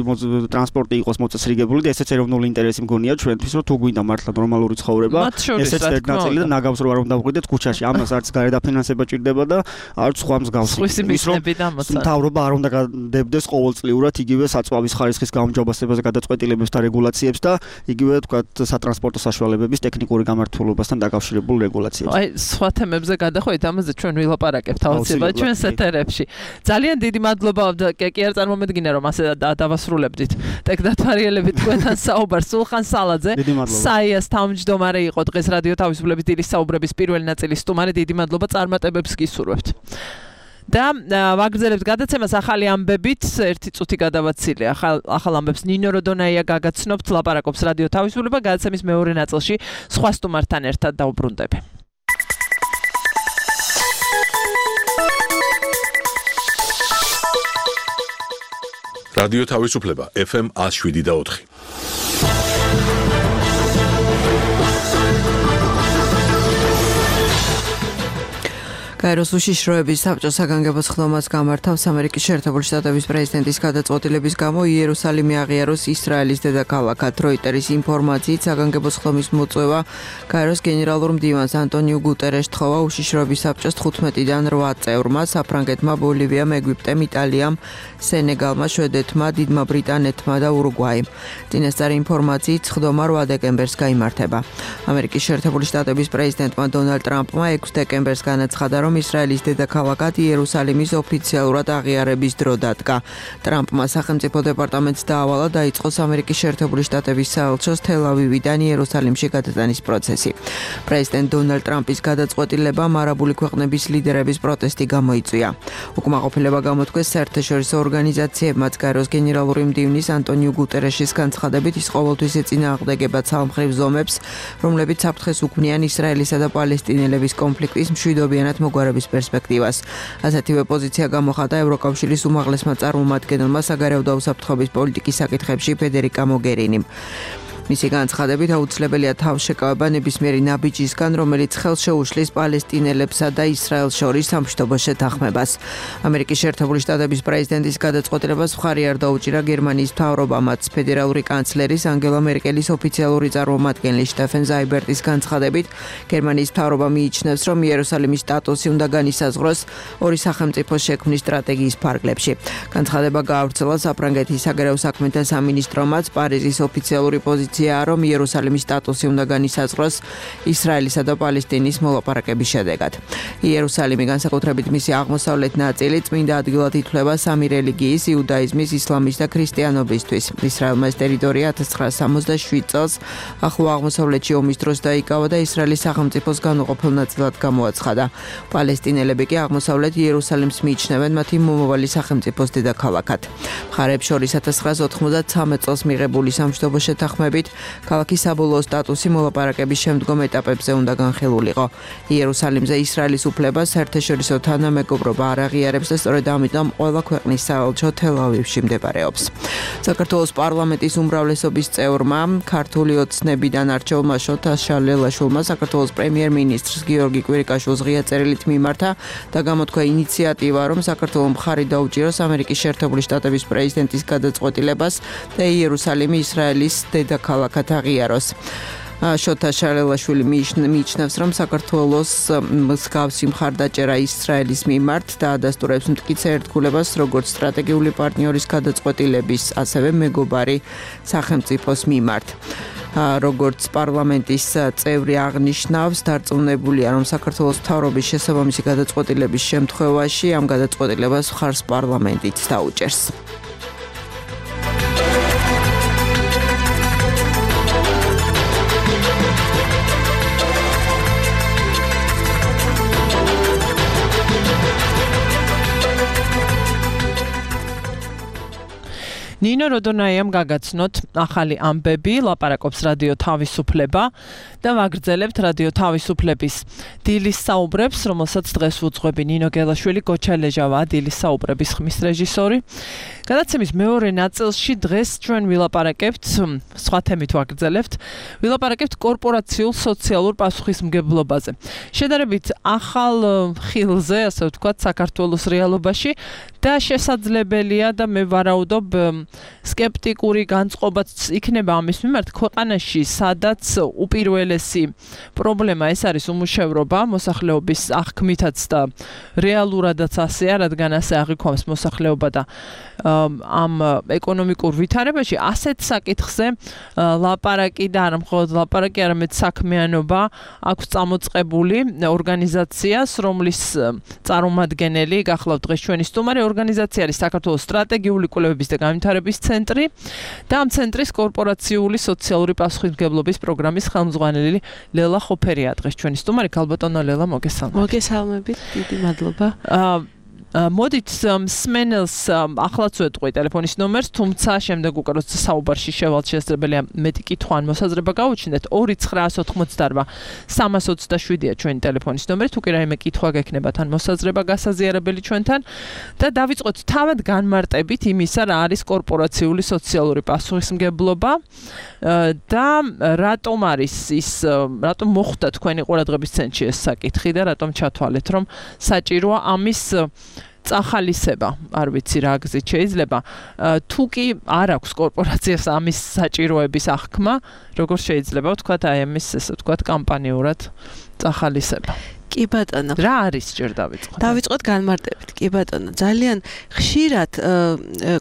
[SPEAKER 10] ტრანსპორტი იყოს მოწესრიგებული და ესეც ეროვნული ინტერესი მგონია ჩვენთვის რომ თუ გვინდა მართლა ნორმალური ცხოვრება ესეც ერთ ნაწილი და ნაგავს რო არ უნდა ვყიდეთ ქუჩაში ამას არც გარედაფინანსება ჭირდება და არც სხვა მსგავსი
[SPEAKER 2] ის რომ
[SPEAKER 10] მთავრობა არ უნდა გადებდეს ყოველწლიურად იგივე საწვავის ხარისხის გაუმჯობესებაზე გადაწყვეტილებებს და რეგულაციებს და იგივე თქვათ სატრანსპორტო საშუალებების ტექნიკური გამართულებასთან დაკავშირებულ რეგულაციებს
[SPEAKER 2] აი სხვა თემებზე გადახვედით ამაზე ჩვენ ვილაპარაკებთ აუცილებლად ჩვენს ეთერებში ძალიან დიდი მადლობა კი არ წარმომედგინა რომ ასე დავასრულებდით ტექნათვარიელებით თქვენთან საუბარს სულხან სალაძე საიას თავმჯდომარე იყო დღეს რადიო თავისუფლების დილის საუბრების პირველი ნაწილის სტუმარი დიდი მადლობა წარმატებებს გისურვებთ და ვაგრძელებთ გადაცემას ახალი ამბებით ერთი წუთი გადავაცილე ახალ ახალ ამბებს ნინო როდონაია გაგაცნობთ ლაპარაკობს რადიო თავისუფლება გადაცემის მეორე ნაწილში სხვა სტუმართან ერთად დაუბრუნდები
[SPEAKER 1] რადიო თავისუფლება ეფ ემ one oh seven და four
[SPEAKER 13] გაეროს უშიშროების საბჭო საგანგებო სხდომას გამართავს ამერიკის შეერთებული შტატების პრეზიდენტის გადაწყვეტილების გამო იერუსალიმი აღიაროს ისრაელის დედაქალაქად როიტერის ინფორმაციით საგანგებო სხდომის მოწვევა გაეროს გენერალურ მდივანს ანტონიუ გუტერეშს თხოვა უშიშროების საბჭოს თხუთმეტიდან რვა წევრმა საფრანგეთმა ბოლივიამ ეგვიპტემ იტალიამ სენეგალმა შვედეთმა დიდმა ბრიტანეთმა და ურუგვაიმ წინასწარი ინფორმაციით სხდომა რვა დეკემბერს გაიმართება ამერიკის შეერთებული შტატების პრეზიდენტმა დონალდ ტრამპმა ექვსი დეკემბერს განაცხადა რომ ისრაელის დედაქალაქად იერუსალიმის ოფიციალურად აღიარების დრო დადგა. ტრამპმა სახელმწიფო დეპარტამენტს დაავალა დაიწყოს ამერიკის შეერთებული შტატების საელჩოს თელ-ავივიდან იერუსალიმში გადატანის პროცესი. პრეზიდენტ დონალდ ტრამპის გადაწყვეტილებამ არაბული ქვეყნების ლიდერების პროტესტი გამოიწვია. უკმაყოფილება გამოთქვეს საერთაშორისო ორგანიზაციებმაც გაეროს გენერალური მდივნის ანტონიუ გუტერეშის განცხადებით ის ყოველთვის ეწინააღმდეგება ცალმხრივ ზომებს, რომლებიც საფრთხეს უქმნიან ისრაელისა და პალესტინელების კონფლიქტის მშვიდობიანად მოგვარების პერსპექტივას. ასეთივე პოზიცია გამოხატა ევროკავშირის უმაღლესმა წარმომადგენელმა საგარეო და უსაფრთხოების პოლიტიკის საკითხებში ფედერიკა მოგერინიმ. მისი განცხადებით აუცილებელია თავშეკავება ნებისმიერი ნაბიჯისგან, რომელიც ხელს შეუშლის პალესტინელებსა და ისრაელს შორის სამშვიდობო შეთანხმებას. ამერიკის შეერთებული შტატების პრეზიდენტის გადაწყვეტილებას მხარი არ დაუჭირა გერმანიის მთავრობამაც. ფედერალური კანცლერის ანგელა მერკელის ოფიციალური წარმომადგენელი შტეფენ ზაიბერტის განცხადებით, გერმანიის მთავრობა მიიჩნევს, რომ იერუსალიმის სტატუსი უნდა განისაზღვროს ორი სახელმწიფოს შექმნის სტრატეგიის ფარგლებში. განცხადება გაავრცელა საფრანგეთის საგარეო საქმეთა სამინისტრომაც პარიზის ოფიციალური პოზიცია პოზიციაა, რომ იერუსალიმის სტატუსი უნდა განისაზღვროს ისრაელისა და პალესტინის მოლაპარაკების შედეგად. იერუსალიმი განსაკუთრებით მისი აღმოსავლეთ ნაწილი წმინდა ადგილად ითვლება სამი რელიგიის, იუდაიზმის, ისლამის და ქრისტიანობისთვის. ისრაელმა ეს ტერიტორია ათას ცხრაასა სამოცდაშვიდ წელს ახლო აღმოსავლეთში ომის დროს დაიკავა და ისრაელის სახელმწიფოს განუყოფელ ნაწილად გამოაცხადა. პალესტინელები კი აღმოსავლეთ იერუსალიმს მიიჩნევენ მათი მომავალი სახელმწიფოს დედაქალაქად. მხარეებს შორის ათას ცხრაასა ოთხმოცდათვრამეტ წელს მიღებული სამშვიდობო შეთანხმებით ქალაქის საბოლოო სტატუსი მოლაპარაკების შემდგომ ეტაპებზე უნდა განხილულიყო. იერუსალიმზე ისრაელის უფლებას საერთაშორისო თანამეგობრობა არ აღიარებს და სწორედ ამიტომ ყველა ქვეყნის საელჩო თელ-ავივში მდებარეობს. საქართველოს პარლამენტის უმრავლესობის წევრმა ქართული ოცნებიდან არჩეულმა შოთა შალელაშვილმა საქართველოს პრემიერ-მინისტრს გიორგი კვირიკაშვილს ღია წერილით მიმართა და გამოთქვა ინიციატივა, რომ საქართველოს მხარი დაუჭიროს ამერიკის შეერთებული შტატების პრეზიდენტის გადაწყვეტილებას და იერუსალიმი ისრაელის დედაქალაქად აღიაროს. შოთა შალელაშვილი მიიჩნევს, რომ საქართველოს მსგავსი მხარდაჭერა ისრაელის მიმართ და ადასტურებს მტკიცე ერთგულებას როგორც სტრატეგიული პარტნიორის გადაწყვეტილების, ასევე მეგობარი სახელმწიფოს მიმართ. როგორც პარლამენტის წევრი აღნიშნავს, დარწმუნებულია, რომ საქართველოს მთავრობის შესაბამისი გადაწყვეტილების შემთხვევაში ამ გადაწყვეტილებას მხარს პარლამენტიც დაუჭერს.
[SPEAKER 2] ნინო როდონაიამ გაგაცნოთ ახალი ამბები, ლაპარაკობს რადიო თავისუფლება და ვაგრძელებთ რადიო თავისუფლების დილის საუბრებს, რომელსაც დღეს უძღვები ნინო გელაშვილი, გოჩა ლეჟავა, დილის საუბრების ხმის რეჟისორი. გადაცემის მეორე ნაწილში დღეს ჩვენ ვილაპარაკებთ, სხვა თემით ვაგრძელებთ, ვილაპარაკებთ კორპორაციულ სოციალურ პასუხისმგებლობაზე. შედარებით ახალ ხილზე, ასე ვთქვათ, საქართველოს რეალობაში და შესაძლებელია და მე ვარაუდობ სკეპტიკური განწყობაც იქნება ამის მიმართ ქვეყანაში, სადაც უპირველესი პრობლემა ეს არის უმუშევრობა, მოსახლეობის აღქმითაც და რეალურადაც ასეა, რადგან ასე აღიქვამს მოსახლეობა და ამ ეკონომიკურ ვითარებაში ასეთ საკითხზე ლაპარაკი და არა მხოლოდ ლაპარაკი, არამედ საქმიანობა აქვს წამოწყებული ორგანიზაციას, რომლის წარმომადგენელი გახლავთ დღეს ჩვენი სტუმარი. ორგანიზაცია არის საქართველოს სტრატეგიული კვლევების და განვითარების ცენტრი და ამ ცენტრის კორპორაციული სოციალური პასუხისმგებლობის პროგრამის ხელმძღვანელი ლელა ხოფერია დღეს ჩვენი სტუმარი. ქალბატონო ლელა, მოგესალმებით.
[SPEAKER 5] მოგესალმებით, დიდი მადლობა.
[SPEAKER 2] მოდით სმენელს ახლაც ვეტყვი ტელეფონის ნომერს, თუმცა შემდეგ უკვე როცა საუბარში შევალთ შესაძლებელია მეტი კითხვა ან მოსაზრება გაუჩნდეთ. ორი ცხრაასა ოცდაოთხ სამას ოცდაშვიდია ჩვენი ტელეფონის ნომერი, თუ კი რაიმე კითხვა გექნებათ ან მოსაზრება გასაზიარებელი ჩვენთან და დავიწყოთ თავად განმარტებით იმისა, რა არის კორპორაციული სოციალური პასუხისმგებლობა და რატომ არის ის, რატომ მოხვდა თქვენი ყურადღების ცენტრში ეს საკითხი და რატომ ჩათვალეთ, რომ საჭიროა ამის წახალისება, არ ვიცი რა გზით შეიძლება. თუ კი არ აქვს კორპორაციას ამის საჭიროების აღქმა, როგორ შეიძლება ვთქვათ, აი ამის ესე ვთქვათ კამპანიურად წახალისება.
[SPEAKER 5] კი ბატონო.
[SPEAKER 2] რა არის ჯერ დავიწყოთ?
[SPEAKER 5] დავიწყოთ განმარტებით. კი ბატონო, ძალიან ხშირად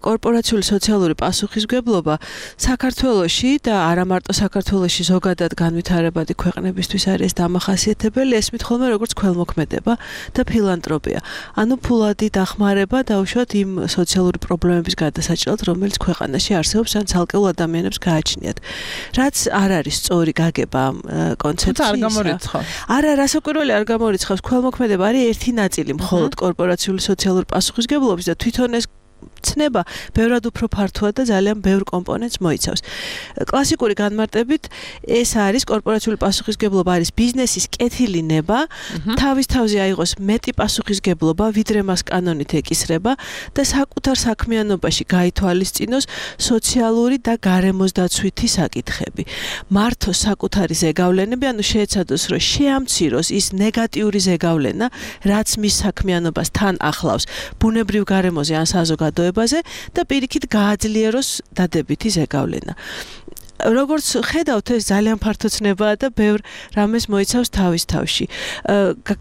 [SPEAKER 5] კორპორაციული სოციალური პასუხისმგებლობა საქართველოში და არა მარტო საქართველოში, ზოგადად განვითარებადი ქვეყნებისთვის არის დამახასიათებელი, ესმით ხოლმე როგორც ქველმოქმედება და ფილანტროპია. ანუ ფულადი დახმარება დაუშვათ იმ სოციალური პრობლემების გადასაჭრელად, რომელიც ქვეყანაში არსებობს ან ცალკეულ ადამიანებს გააჩნიათ. რაც არ არის სწორი გაგება ამ კონცეფციისა.
[SPEAKER 2] არ გამორიცხავს.
[SPEAKER 5] არა, რასაკვირველი არ გამორიცხავს. ქველმოქმედება არის ერთი ნაწილი მხოლოდ კორპორაციული სოციალური პასუხისმგებლობის და თვითონ ეს ცნება ბევრად უფრო ფართოა და ძალიან ბევრ კომპონენტს მოიცავს. კლასიკური განმარტებით ეს არის კორპორაციული პასუხისმგებლობა არის ბიზნესის კეთილი ნება, თავის თავზე აიღოს მეტი პასუხისმგებლობა, ვიდრე მას კანონით ეკისრება და საკუთარ საქმიანობაში გაითვალისწინოს სოციალური და გარემოსდაცვითი საკითხები. მართოს საკუთარი ზეგავლენები, ანუ შეეცადოს, რომ შეამციროს ის ნეგატიური ზეგავლენა, რაც მის საქმიანობას თან ახლავს ბუნებრივ გარემოზე ან საზოგადოებაზე და პირიქით გააძლიეროს დადებითი ზეგავლენა.
[SPEAKER 14] როგორც ხედავთ, ეს ძალიან ფართოცნებაა და ბევრ რამეს მოიცავს თავის თავში.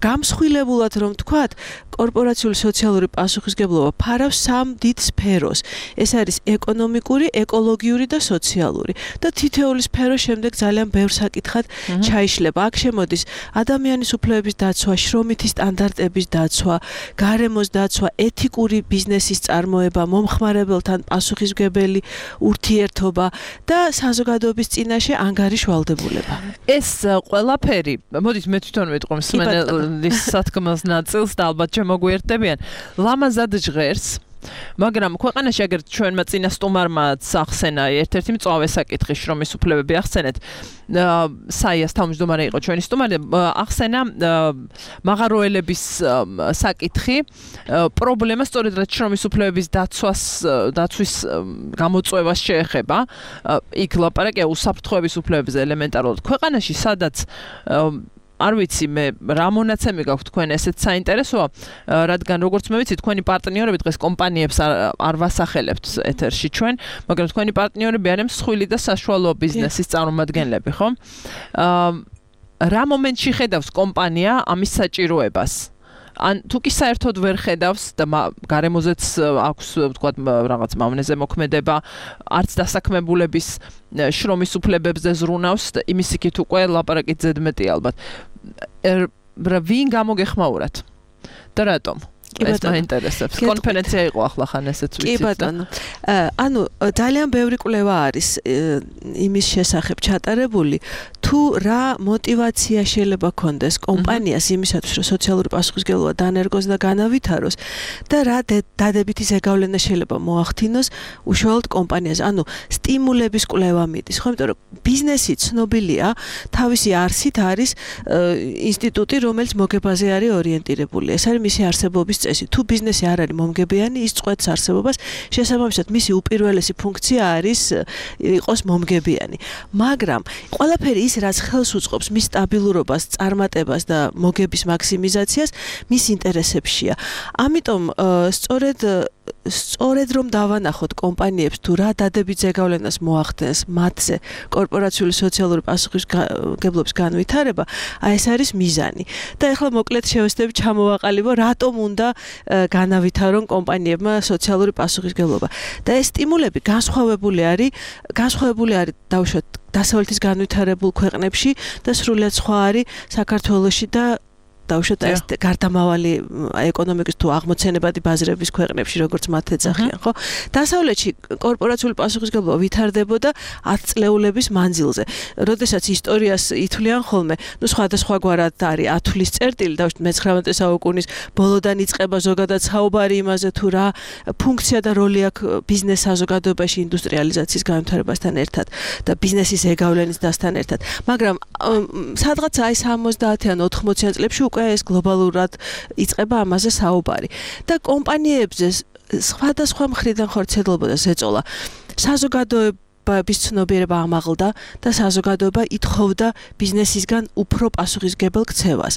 [SPEAKER 14] გამსხვილებულად რომ თქვათ, კორპორაციული სოციალური პასუხისგებლობა ფარავს სამ დიდ სფეროს. ეს არის ეკონომიკური, ეკოლოგიური და სოციალური. და თითოეული სფერო შემდეგ ძალიან ბევრ საკითხად ჩაიშლება. აქ შემოდის ადამიანის უფლებების დაცვა, შრომითი სტანდარტების დაცვა, გარემოს დაცვა, ეთიკური ბიზნესის წარმოება, მომხმარებელთან პასუხისმგებელი ურთიერთობა და საზოგადოების წინაშე ანგარიშ ვალდებულება.
[SPEAKER 2] ეს ყველაფერი, მოდით მე თვითონ ვიტყვი მსმენელის სათქმელს ნაწილს და ალბათ შემოგვიერთდებიან. ლამაზად ჟღერს, მაგრამ ქვეყანაში აგერ ჩვენმა წინა სტუმარმაც ახსენა ერთ-ერთი მწვავე საკითხი შრომის უფლებები ახსენეთ. საიას თავმჯდომარე იყო ჩვენი სტუმარი, ახსენა მაღაროელების საკითხი, პრობლემა სწორედ რაც შრომის უფლებების დაცვას დაცვის გამოწვევას შეეხება. იქ ლაპარაკია უსაფრთხოების უფლებებზე ელემენტარულად. ქვეყანაში სადაც არ ვიცი მე რა მონაცემი გაქვთ თქვენ ესეც საინტერესოა, რადგან როგორც მე ვიცი თქვენი პარტნიორები დღეს კომპანიებს არ ვასახელებთ ეთერში ჩვენ, მაგრამ თქვენი პარტნიორები არიან მსხვილი და საშუალო ბიზნესის წარმომადგენლები, ხო? რა მომენტში ხედავს კომპანია ამის საჭიროებას? ან თუ კი საერთოდ ვერ ხედავს და გარემოზეც აქვს თქვათ რაღაც მავნეზე მოქმედება, არც დასაქმებულების შრომის უფლებებზე ზრუნავს, იმის იქით უკვე ლაპარაკით ზედმეტი ალბათ. ვინ გამოგეხმაურათ? და რატომ? ეს მაინტერესებს. კონფერენცია იყო ახლახან ესეც ვიცით.
[SPEAKER 14] კი ბატონო. ანუ ძალიან ბევრი კვლევა არის იმის შესახებ ჩატარებული, თუ რა мотиваცია შეიძლება კონდეს კომპანიას იმისათვის, რომ სოციალური პასუხისმგებლობა დანერგოს და განავითაროს და რა დადებითი ზეგავლენა შეიძლება მოახდინოს უშუალოდ კომპანიაზე. ანუ სტიმულების კვლევა მიდის, ხო? იმიტომ რომ ბიზნესი ცნობილია, თავისი არსით არის ინსტიტუტი, რომელიც მოგებაზე არის ორიენტირებული. ეს არის მისი არსებობის წესი. თუ ბიზნესი არ არის მომგებიანი, ის წყვეტს არსებობას, შესაბამისად მისი უპირველესი ფუნქცია არის იყოს მომგებიანი. მაგრამ ყველაფერი ის რაც ხელს უწყობს მის სტაბილურობას, წარმატებას და მოგების მაქსიმიზაციას, მის ინტერესებშია. ამიტომ სწორედ სწორედ რომ დავანახოთ კომპანიებს თუ რა დადებით ზეგავლენას მოახდენს მათზე კორპორაციული სოციალური პასუხისმგებლობის განვითარება, აი ეს არის მიზანი. და ეხლა მოკლედ შევეცდები ჩამოვაყალიბო, რატომ უნდა განავითარონ კომპანიებმა სოციალური პასუხისმგებლობა. და ეს სტიმულები განსხვავებული არის, განსხვავებული არის დავუშვათ დასავლეთის განვითარებულ ქვეყნებში და სრულიად სხვა არის საქართველოში და დავუშვათ ეს გარდამავალი ეკონომიკის თუ აღმოცენებადი ბაზრების ქვეყნებში, როგორც მათ ეძახიან, ხო? დასავლეთში კორპორაციული პასუხისმგებლობა ვითარდებოდა ათწლეულების მანძილზე. როდესაც ისტორიას ითვლიან ხოლმე, ნუ სხვადასხვაგვარად არის ათვლის წერტილი, დავუშვათ მეცხრამეტე საუკუნის ბოლოდან იწყება ზოგადად საუბარი იმაზე, თუ რა ფუნქცია და როლი აქვს ბიზნეს საზოგადოებაში ინდუსტრიალიზაციის განვითარებასთან ერთად და ბიზნესის ზეგავლენის დასთან ერთად. მაგრამ სადღაც აი სამოცდაათიან ოთხმოციან წლებში უკვე ეს გლობალურად იწყება ამაზე საუბარი. და კომპანიებზე სხვადასხვა მხრიდან ხორციელდებოდა ზეწოლა. საზოგადოება ბის ცნობიერება ამაღლდა და საზოგადოება ითხოვდა ბიზნესისგან უფრო პასუხისმგებელ ქცევას.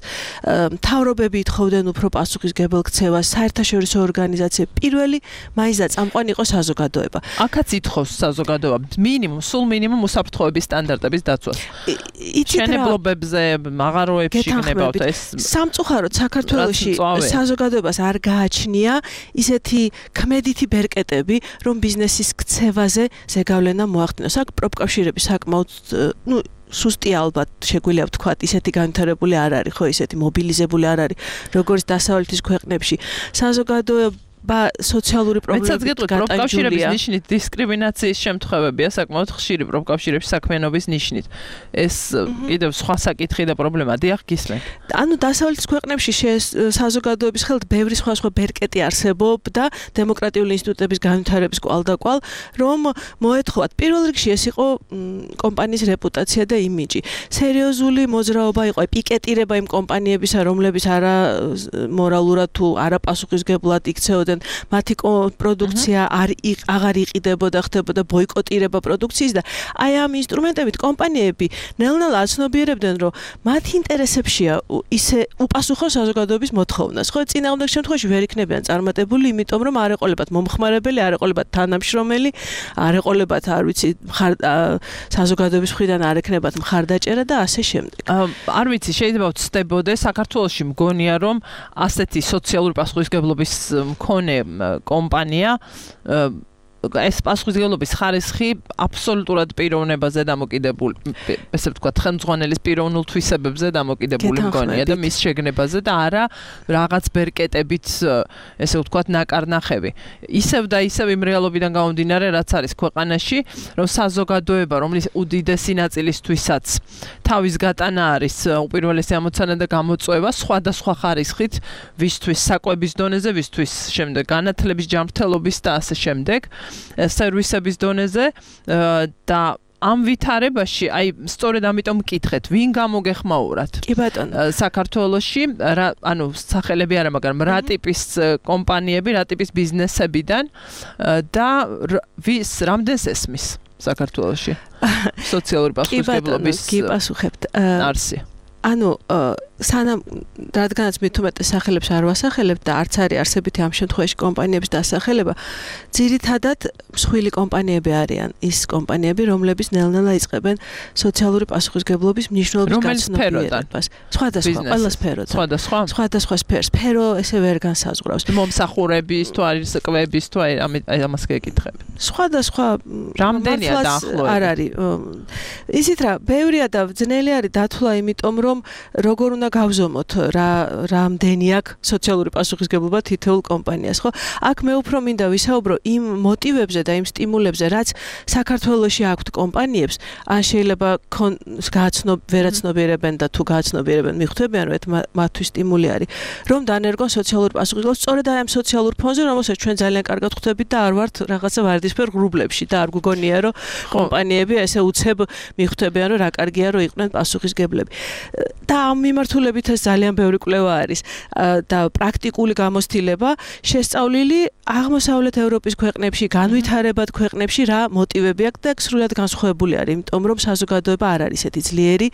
[SPEAKER 14] მთავრობები ითხოვდნენ უფრო პასუხისმგებელ ქცევას, საერთაშორისო ორგანიზაციები პირველი მაინც და წამყვანი იყო საზოგადოება.
[SPEAKER 2] აქაც ითხოვს საზოგადოება მინიმუმ, სულ მინიმუმ უსაფრთხოების სტანდარტების დაცვას. შენებლობებზე, მაღაროებში გნებავთ ეს.
[SPEAKER 14] სამწუხაროდ საქართველოში საზოგადოებას არ გააჩნია ისეთი ქმედითი ბერკეტები, რომ ბიზნესის ქცევაზე ზეგავლენა მოახდინოს. აქ პროფკავშირები საკმაოდ ნუ სუსტია ალბათ შეგვიძლია ვთქვათ, ისეთი განვითარებული არ არის, ხო, ისეთი მობილიზებული არ არის, როგორც დასავლეთის ქვეყნებში. საზოგადოება სოციალური პრობლემები
[SPEAKER 2] პროფკავშირების ნიშნით დისკრიმინაციის შემთხვევებია საკმაოდ ხშირი პროფკავშირების საქმიანობის ნიშნით. ეს კიდევ სხვა საკითხი და პრობლემა დიახ გისმენ.
[SPEAKER 14] ანუ დასავლეთის ქვეყნებში საზოგადოების ხელთ ბევრი სხვა სხვა ბერკეტი არსებობდა დემოკრატიული ინსტიტუტების განვითარების კვალდაკვალ, რომ მოეთხოვათ. პირველ რიგში ეს იყო კომპანიის რეპუტაცია და იმიჯი. სერიოზული მოძრაობა იყო, პიკეტირება იმ კომპანიებისა, რომლებიც არა მორალურად თუ არა პასუხისმგებლად იქცეოდნენ იწებოდნენ, მათი პროდუქცია არ აღარ იყიდებოდა, ხდებოდა ბოიკოტირება პროდუქციის და აი ამ ინსტრუმენტებით კომპანიები ნელ-ნელა აცნობიერებდნენ, რომ მათ ინტერესებშია ისე უპასუხოს საზოგადოების მოთხოვნას. ხო, წინააღმდეგ შემთხვევაში ვერ იქნებიან წარმატებული, იმიტომ რომ არ ეყოლებათ მომხმარებელი, არ ეყოლებათ თანამშრომელი, არ ეყოლებათ, არ ვიცი, საზოგადოების მხრიდან არ ექნებათ მხარდაჭერა და ასე შემდეგ.
[SPEAKER 2] არ ვიცი, შეიძლება ვცდებოდე, საქართველოში მგონია, რომ ასეთი სოციალური პასუხისმგებლობის მქონე კომპანია ეს პასუხისმგებლობის ხარისხი აბსოლუტურად პიროვნებაზე დამოკიდებული, ესე ვთქვათ, ხელმძღვანელის პიროვნულ თვისებებზე დამოკიდებული მგონია და მის შეგნებაზე და არა რაღაც ბერკეტებით, ესე ვთქვათ, ნაკარნახები. ისევ და ისევ იმ რეალობიდან გამომდინარე, რაც არის ქვეყანაში, რომ საზოგადოება, რომლის უდიდესი ნაწილისთვისაც თავის გატანა არის უპირველესი ამოცანა და გამოწვევა სხვადასხვა ხარისხით, ვისთვის საკვების დონეზე, ვისთვის შემდეგ განათლების ჯანმრთელობის და ასე შემდეგ. სერვისების დონეზე და ამ ვითარებაში, აი, სწორედ ამიტომ მკითხეთ, ვინ გამოგეხმაურათ?
[SPEAKER 14] კი ბატონო.
[SPEAKER 2] საქართველოში, ანუ სახელები არა, მაგრამ რა ტიპის კომპანიები, რა ტიპის ბიზნესებიდან და ვის რამდენს ესმის საქართველოში? სოციალური პასუხისმგებლობის
[SPEAKER 14] კი პასუხებთ.
[SPEAKER 2] არსი.
[SPEAKER 14] ანუ სანამ რადგანაც მით უმეტეს სახელებს არ ვასახელებ და არც არის არსებითი ამ შემთხვევაში კომპანიების დასახელება, ძირითადად მსხვილი კომპანიები არიან ის კომპანიები, რომლებიც ნელ-ნელა იწყებენ სოციალური პასუხისმგებლობის მნიშვნელობის გაცნობიერებას. სხვადასხვა, ყველა სფეროდან.
[SPEAKER 2] სხვადასხვა?
[SPEAKER 14] სხვადასხვა სფეროს. სფერო ესე ვერ განსაზღვრავს.
[SPEAKER 2] მომსახურების თუ არის კვების თუ აი ამას გეკითხები.
[SPEAKER 14] სხვადასხვა
[SPEAKER 2] რამდენია დაახლოებით?
[SPEAKER 14] არ არის. ისიც რა, ბევრია და ძნელი არის დათვლა, იმიტომ რომ როგორ უნდა გავზომოთ რა რამდენი აქვს სოციალური პასუხისმგებლობა თითოეულ კომპანიას, ხო? აქ მე უფრო მინდა ვისაუბრო იმ მოტივებზე და იმ სტიმულებზე, რაც საქართველოში აქვთ კომპანიებს, ან შეიძლება გააცნობ ვერაცნობიერებენ და თუ გააცნობიერებენ, მიხვდებიან, რომ მათთვის სტიმული არის, რომ დანერგონ სოციალური პასუხისმგებლობა სწორედ აი ამ სოციალურ ფონზე, რომელსაც ჩვენ ძალიან კარგად ხვდებით და არ ვართ რაღაცა ვარდისფერ ღრუბლებში და არ გგონია, რომ კომპანიები ესე უცებ მიხვდებიან, რომ რა კარგია, რომ იყვნენ პასუხისმგებლები. და ამ მიმართულებით ეს ძალიან ბევრი კვლევა არის და პრაქტიკული გამოცდილება შესწავლილი აღმოსავლეთ ევროპის ქვეყნებში, განვითარებად ქვეყნებში რა მოტივები აქვს და სრულად განსხვავებული არის, იმიტომ რომ საზოგადოება არ არის ესეთი ძლიერი,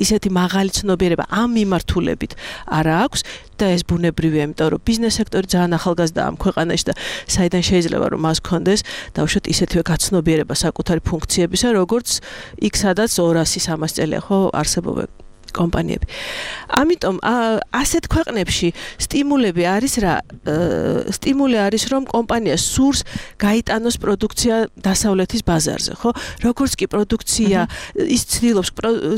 [SPEAKER 14] ისეთი მაღალი ცნობიერება ამ მიმართულებით არა აქვს და ეს ბუნებრივია, იმიტომ რომ ბიზნეს სექტორი ძალიან ახალგაზრდაა ამ ქვეყანაში და საიდან შეიძლება რომ მას ჰქონდეს დავუშვათ ისეთივე გაცნობიერება საკუთარი ფუნქციებისა, როგორც იქ სადაც ორასი სამასი წელია ხო არსებობენ კომპანიები. ამიტომ ასეთ ქვეყნებში სტიმულები არის რა, სტიმული არის რომ კომპანია სურს გაიტანოს პროდუქცია დასავლეთის ბაზარზე, ხო? როგორც კი პროდუქცია ის ცდილობს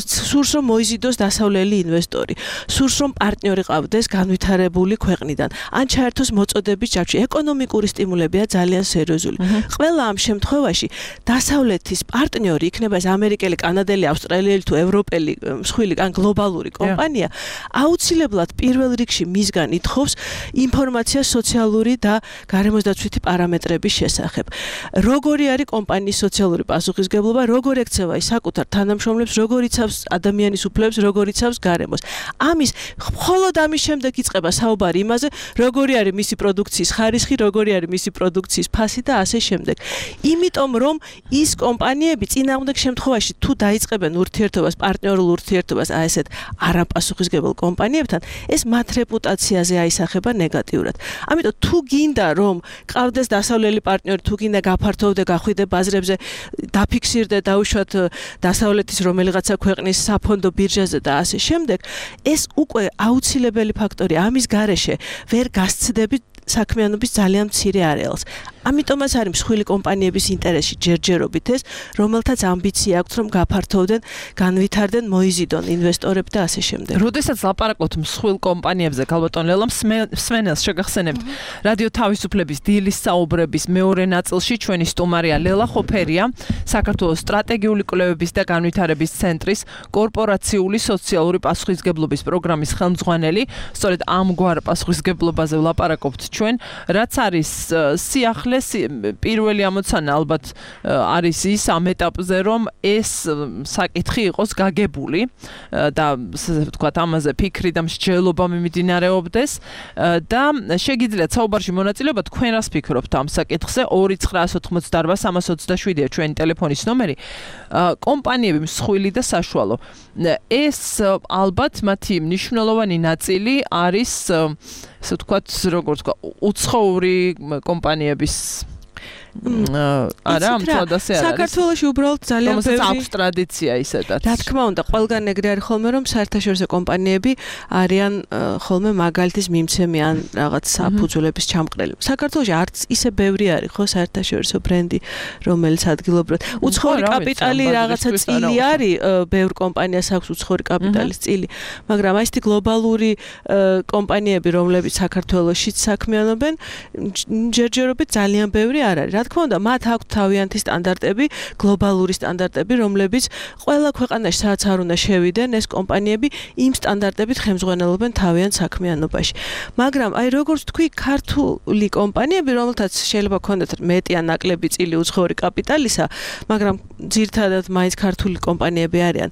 [SPEAKER 14] სურს რომ მოიზიდოს დასავლელი ინვესტორი, სურს რომ პარტნიორი ყავდეს განვითარებული ქვეყნიდან, ან ჩაერთოს მოწოდების ჯაჭვში. ეკონომიკური სტიმულებია ძალიან სერიოზული. ყველა ამ შემთხვევაში დასავლეთის პარტნიორი, იქნება ეს ამერიკელი, კანადელი, ავსტრალიელი თუ ევროპელი, მსხვილი ან გლობალური კომპანია აუცილებლად პირველ რიგში მისგან ითხოვს ინფორმაციას სოციალური და გარემოსდაცვითი პარამეტრების შესახებ. როგორი არის კომპანიის სოციალური პასუხისმგებლობა, როგორ ექცევა ის საკუთარ თანამშრომლებს, როგორ იცავს ადამიანის უფლებებს, როგორ იცავს გარემოს. ამის მხოლოდ ამის შემდეგ იწყება საუბარი იმაზე, როგორი არის მისი პროდუქციის ხარისხი, როგორი არის მისი პროდუქციის ფასი და ასე შემდეგ. იმიტომ რომ ის კომპანიები წინააღმდეგ შემთხვევაში თუ დაიწყებენ ურთიერთობას, პარტნიორულ ურთიერთობას აი ესეთ არაპასუხისმგებელ კომპანიებთან, ეს მათ რეპუტაციაზე აისახება ნეგატიურად. ამიტომ თუ გინდა რომ ყავდეს დასავლელი პარტნიორი, თუ გინდა გაფართოვდე, გახვიდე ბაზრებზე, დაფიქსირდე დაუშვათ დასავლეთის რომელიღაცა ქვეყნის საფონდო ბირჟაზე და ასე შემდეგ, ეს უკვე აუცილებელი ფაქტორია. ამის გარეშე ვერ გასცდებით საქმიანობის ძალიან მცირე არეალს. ამიტომაც არის მსხვილი კომპანიების ინტერესში ჯერჯერობით ეს, რომელთაც ამბიცია აქვთ რომ გაფართოვდნენ, განვითარდნენ, მოიზიდონ ინვესტორები და ასე შემდეგ.
[SPEAKER 2] როდესაც ლაპარაკობთ მსხვილ კომპანიებზე, ქალბატონ ლელა, მსმენელს შეგახსენებთ რადიო თავისუფლების დილის საუბრების მეორე ნაწილში ჩვენი სტუმარია ლელა ხოფერია, საქართველოს სტრატეგიული კვლევების და განვითარების ცენტრის კორპორაციული სოციალური პასუხისმგებლობის პროგრამის ხელმძღვანელი. სწორედ ამგვარ პასუხისმგებლობაზე ვლაპარაკობთ ჩვენ, რაც არის სიახლე უმაღლესი პირველი ამოცანა ალბათ არის ის ამ ეტაპზე, რომ ეს საკითხი იყოს გაგებული და ვთქვათ ამაზე ფიქრი და მსჯელობა მიმდინარეობდეს და შეგიძლიათ საუბარში მონაწილეობა თქვენ რას ფიქრობთ ამ საკითხზე ორი ცხრა ოთხმოცდაარბა სამას ოცდაშვიდია ჩვენი ტელეფონის ნომერი კომპანიები მსხვილი და საშუალო ეს ალბათ მათი მნიშვნელოვანი ნაწილი არის ესე ვთქვათ როგორც თქვა უცხოური კომპანიების არა, ამწოდ ასე არის.
[SPEAKER 14] საქართველოში უბრალოდ ძალიან
[SPEAKER 2] ბევრი აქვს ტრადიცია ისედაც.
[SPEAKER 14] რა თქმა უნდა, ყველგან ეგრე არის ხოლმე, რომ საერთაშორისო კომპანიები არიან ხოლმე მაგალითის მიმცემი ან რაღაც საფუძვლების ჩამყრელი. საქართველოში არც ისე ბევრი არის ხო საერთაშორისო ბრენდი, რომელიც ადგილობრივად. უცხოური კაპიტალი რაღაცა წილი არის, ბევრ კომპანიას აქვს უცხოური კაპიტალის წილი, მაგრამ აი ესეთი გლობალური კომპანიები, რომლებიც საქართველოშიც საქმიანობენ, ჯერჯერობით ძალიან ბევრი არ არის. თქმა უნდა, მათ აქვთ თავიანთი სტანდარტები, გლობალური სტანდარტები, რომლებიც ყველა ქვეყანაში სადაც არ უნდა შევიდნენ, ეს კომპანიები იმ სტანდარტებით ხელმძღვანელობენ თავიანთ საქმიანობაში. მაგრამ აი როგორც თქვი, ქართული კომპანიები, რომელთაც შეიძლება ქონდეთ მეტი ან ნაკლები წილი უცხოური კაპიტალისა, მაგრამ ძირითადად მაინც ქართული კომპანიები არიან,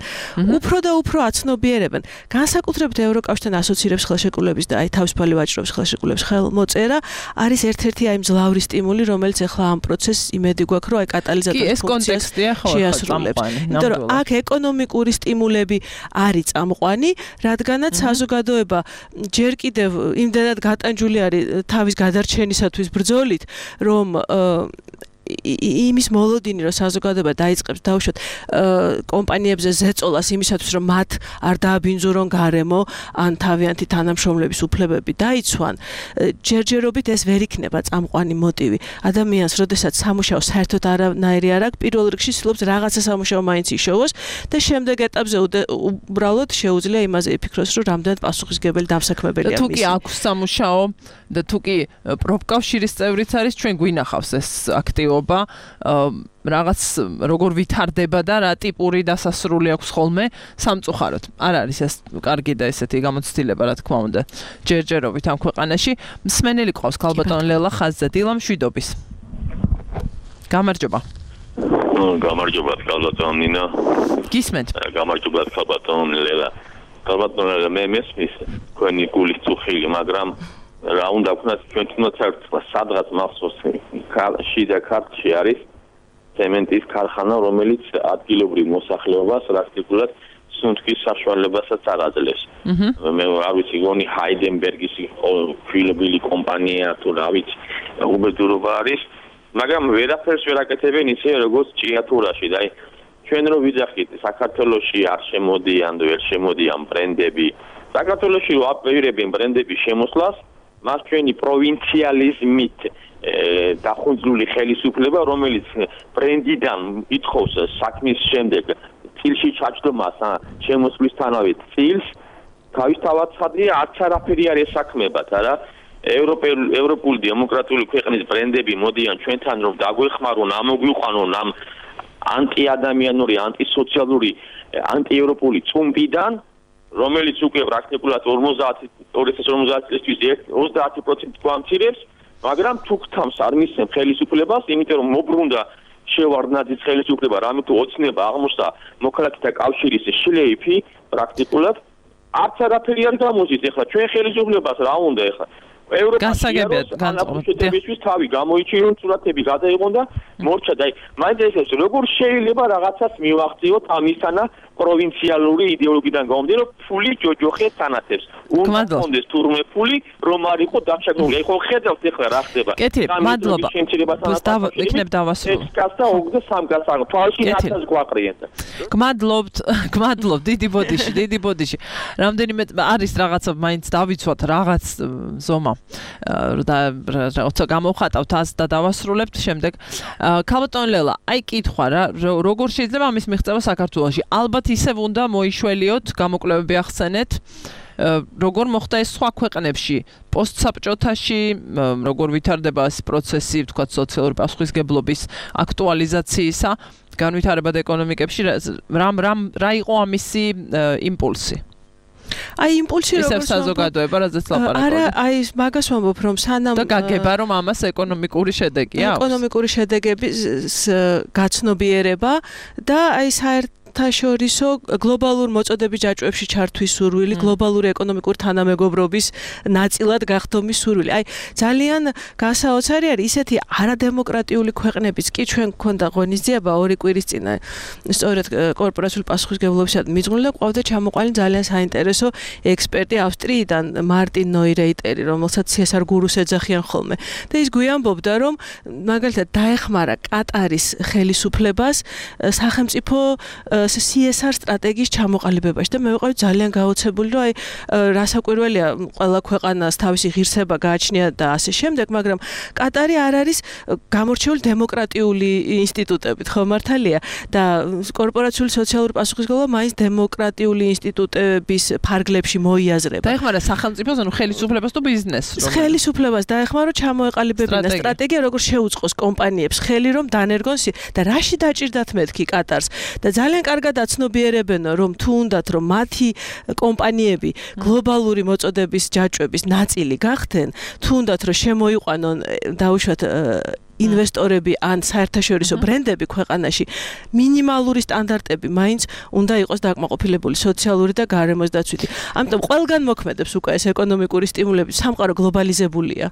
[SPEAKER 14] უფრო და უფრო აცნობიერებენ. განსაკუთრებით ევროკავშირთან ასოცირებს ხელშეკრულების და აი თავისუფალი ვაჭრობის ხელშეკრულების ხელმოწერა არის ერთ-ერთი აი მძლავრი სტიმული, რომელიც ახლა ამ პროცესს იმედი გვაქვს, რომ აი კატალიზატორის ფუნქციას შეასრულებს. იმიტომ რომ აქ ეკონომიკური სტიმულები არის წამყვანი, რადგანაც საზოგადოება ჯერ კიდევ იმდენად გატანჯული არის თავის გადარჩენისათვის ბრძოლით, რომ იმის მოლოდინი, რომ საზოგადოება დაიწყებს დაუშვათ კომპანიებზე ზეწოლას იმისათვის, რომ მათ არ დააბინძურონ გარემო ან თავიანთი თანამშრომლების უფლებები დაიცვან, ჯერჯერობით ეს ვერ იქნება წამყვანი მოტივი. ადამიანს, როდესაც სამუშაო საერთოდ არანაირი არ აქვს, პირველ რიგში ცდილობს რაღაცა სამუშაო მაინც იშოვოს და შემდეგ ეტაპზე უბრალოდ შეუძლია იმაზე იფიქროს, რომ რამდენად პასუხისმგებელი დამსაქმებელია მისი. თუ კი აქვს სამუშაო და თუ კი პროფკავშირის წევრიც არის, ჩვენ გვინახავს ეს აქტივობა რაღაც როგორ ვითარდება და რა ტიპური დასასრული აქვს ხოლმე სამწუხაროდ. არ არის ეს კარგი და ესეთი გამოცდილება, რა თქმა უნდა, ჯერჯერობით ამ ქვეყანაში. მსმენელი ყავს ქალბატონ ლელა ხაზზე, დილა მშვიდობის. გამარჯობა.
[SPEAKER 15] გამარჯობა ქალბატონ ნინა.
[SPEAKER 2] გისმენთ.
[SPEAKER 15] გამარჯობა ქალბატონ ლელა. ქალბატონ ლელა, მე მესმის თქვენი გულის წუხილი, მაგრამ რა უნდა ვქნათ ჩვენ თუნდაც სადღაც მახსოვს შიდა ქართლში არის ცემენტის ქარხანა, რომელიც ადგილობრივ მოსახლეობას პრაქტიკულად სუნთქის საშუალებასაც არ აძლევს. მე არ ვიცი, გონი ჰაიდენბერგის ფილობილი კომპანია თუ რა ვიცი, უბედურობა არის, მაგრამ ვერაფერს ვერ აკეთებენ ისე როგორც ჭიათურაში და აი ჩვენ რო ვიძახით საქართველოში არ შემოდიან, ვერ შემოდიან ბრენდები. საქართველოში რო აპირებენ ბრენდების შემოსვლას მას ჩვენი პროვინციალიზმით დახუნძლული ხელისუფლება, რომელიც ბრენდიდან ითხოვს საქმის შემდეგ წილში ჩაჯდომას შემოსვლისთანავე წილს, თავისთავად ხადია არც არაფერი არ ესაქმებათ, არა? ევროპული დემოკრატიული ქვეყნის ბრენდები მოდიან ჩვენთან, რომ დაგვეხმარონ, ამოგვიყვანონ ამ ანტიადამიანური, ანტისოციალური, ანტიევროპული წუმპიდან, რომელიც უკვე პრაქტიკულად ორმოცდაათი წლისთვის ოცდაათი პროცენტი გვამცირებს, მაგრამ თუ გთამს არ მისცემ ხელისუფლებას, იმიტომ რომ მობრუნდა შევარდნაძის ხელისუფლება, რამე თუ ოცნება აღმოჩნდა მოქალაქეთა კავშირის შლეიფი, პრაქტიკულად არც არაფერი არ გამოსის. ეხლა ჩვენ ხელისუფლებას რა უნდა ეხლა?
[SPEAKER 2] გასაგებია
[SPEAKER 15] განწყობისთვის თავი გამოიჩინონ, სურათები გადაიღონ და მორჩა და მაინც ეს როგორ შეიძლება რაღაცას მივახციოთ ამისანა პროვინციალური იდეოლოგიიდან გამომდინარე, ფული ჯოჯოხე თანათებს. უნდა კონდეს თურმე ფული, რომ არ იყო დაშაგრული. ეხლა ხედავთ ეხლა რა ხდება.
[SPEAKER 2] კეთილი, მადლობა. ვიქნებ დავასრულო.
[SPEAKER 15] ეს კაცთა ოქროს სამ კაცს თვალში ნაცას გვაყრიან.
[SPEAKER 2] გმადლობთ, გმადლობთ, დიდი ბოდიში, დიდი ბოდიში. რამდენიმე არის რაღაცა მაინც დავიცვათ რაღაც ზომა. და როცა გამოვხატავთ ას და დავასრულებთ შემდეგ. ქალბატონ ლელა, აი კითხვა რა, როგორ შეიძლება ამის მიღწევა საქართველოში? ალბათ ისევ უნდა მოიშველიოთ, გამოკვლევები ახსენეთ. როგორ მოხდა ეს სხვა ქვეყნებში, პოსტსაბჭოთაში, როგორ ვითარდება ეს პროცესი, ვთქვათ, სოციალური პასუხისმგებლობის აქტუალიზაციისა, განვითარებად ეკონომიკებში, რა რა რა იყო ამისი იმპულსი?
[SPEAKER 14] აი იმპულსი
[SPEAKER 2] როგორ საზოგადოება რაზეც ლაპარაკობ.
[SPEAKER 14] არა, აი მაგას ვამბობ, რომ სანამ
[SPEAKER 2] და გაგება რომ ამას ეკონომიკური შედეგი აქვს.
[SPEAKER 14] ეკონომიკური შედეგების გაცნობიერება და აი საერთ თაშორისო გლობალურ მოწოდების ჯაჭვებში ჩართვის სურვილი, გლობალური ეკონომიკური თანამეგობრობის ნაწილად გახდომის სურვილი. აი ძალიან გასაოცარი არის ისეთი არადემოკრატიული ქვეყნებიც კი ჩვენ გქონდა ღონისძიება ორი კვირის წინ სწორედ კორპორაციული პასუხისმგებლობისადმი მიძღვნილი და ყავდა ჩამოყვანილი ძალიან საინტერესო ექსპერტი ავსტრიიდან მარტინ ნოირეიტერი, რომელსაც სიესარ გურუს ეძახიან ხოლმე. და ის გვიამბობდა, რომ მაგალითად დაეხმარა კატარის ხელისუფლებას სახელმწიფო სი ეს არ სტრატეგიის ჩამოყალიბებაში და მე ვიყავი ძალიან გაოცებული, რომ აი რასაკვირველია ყველა ქვეყანას თავისი ღირსება გააჩნია და ასე შემდეგ, მაგრამ კატარი არ არის გამორჩეული დემოკრატიული ინსტიტუტებით, ხო მართალია? და კორპორაციული სოციალური პასუხისმგებლობა მაინც დემოკრატიული ინსტიტუტების ფარგლებში მოიაზრება.
[SPEAKER 2] დაეხმარა სახელმწიფოს, ანუ ხელისუფლებას თუ ბიზნესს?
[SPEAKER 14] ხელისუფლებას დაეხმარა, რომ ჩამოეყალიბებინა სტრატეგია, როგორ შეუწყოს კომპანიებს ხელი, რომ დანერგონ და რაში დაჭირდათ მეთქი კატარს და ძალიან კარგად აცნობიერებენ, რომ თუ უნდათ, რომ მათი კომპანიები გლობალური მოწოდების ჯაჭვების ნაწილი გახდნენ, თუ უნდათ, რომ შემოიყვანონ დაუშვათ ინვესტორები ან საერთაშორისო ბრენდები ქვეყანაში, მინიმალური სტანდარტები მაინც უნდა იყოს დაკმაყოფილებული სოციალური და გარემოს დაცვითი. ამიტომ ყველგან მოქმედებს უკვე ეს ეკონომიკური სტიმულები, სამყარო გლობალიზებულია.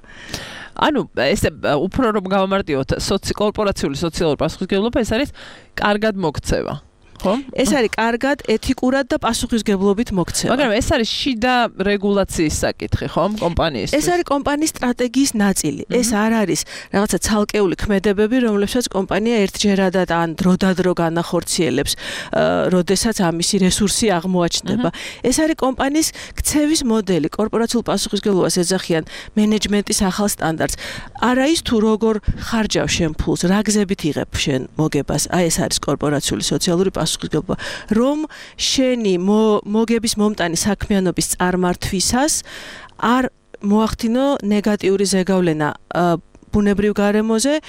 [SPEAKER 2] ანუ ესე უფრო რომ გავამარტივოთ, კორპორაციული სოციალური პასუხისმგებლობა ეს არის კარგად მოქცევა.
[SPEAKER 14] ეს არის კარგად, ეთიკურად და პასუხისმგებლობით მოქცევა.
[SPEAKER 2] მაგრამ ეს არის შიდა რეგულაციის საკითხი, ხო, კომპანიისთვის?
[SPEAKER 14] ეს არის კომპანიის სტრატეგიის ნაწილი. ეს არ არის რაღაცა ცალკეული ქმედებები, რომლებსაც კომპანია ერთჯერადად ან დროდადრო განახორციელებს, როდესაც ამისი რესურსი აღმოაჩნდება. ეს არის კომპანიის ქცევის მოდელი, კორპორაციულ პასუხისმგებლობას ეძახიან მენეჯმენტის ახალ სტანდარტს. არა ის თუ როგორ ხარჯავ შენ ფულს, რა გზებით იღებ შენ მოგებას. აი ეს არის კორპორაციული სოციალური პასუხისმგებლობა. რომ შენი მოგების მომტანი საქმიანობის წარმართვისას არ მოახდინო ნეგატიური ზეგავლენა ბუნებრივ გარემოზე,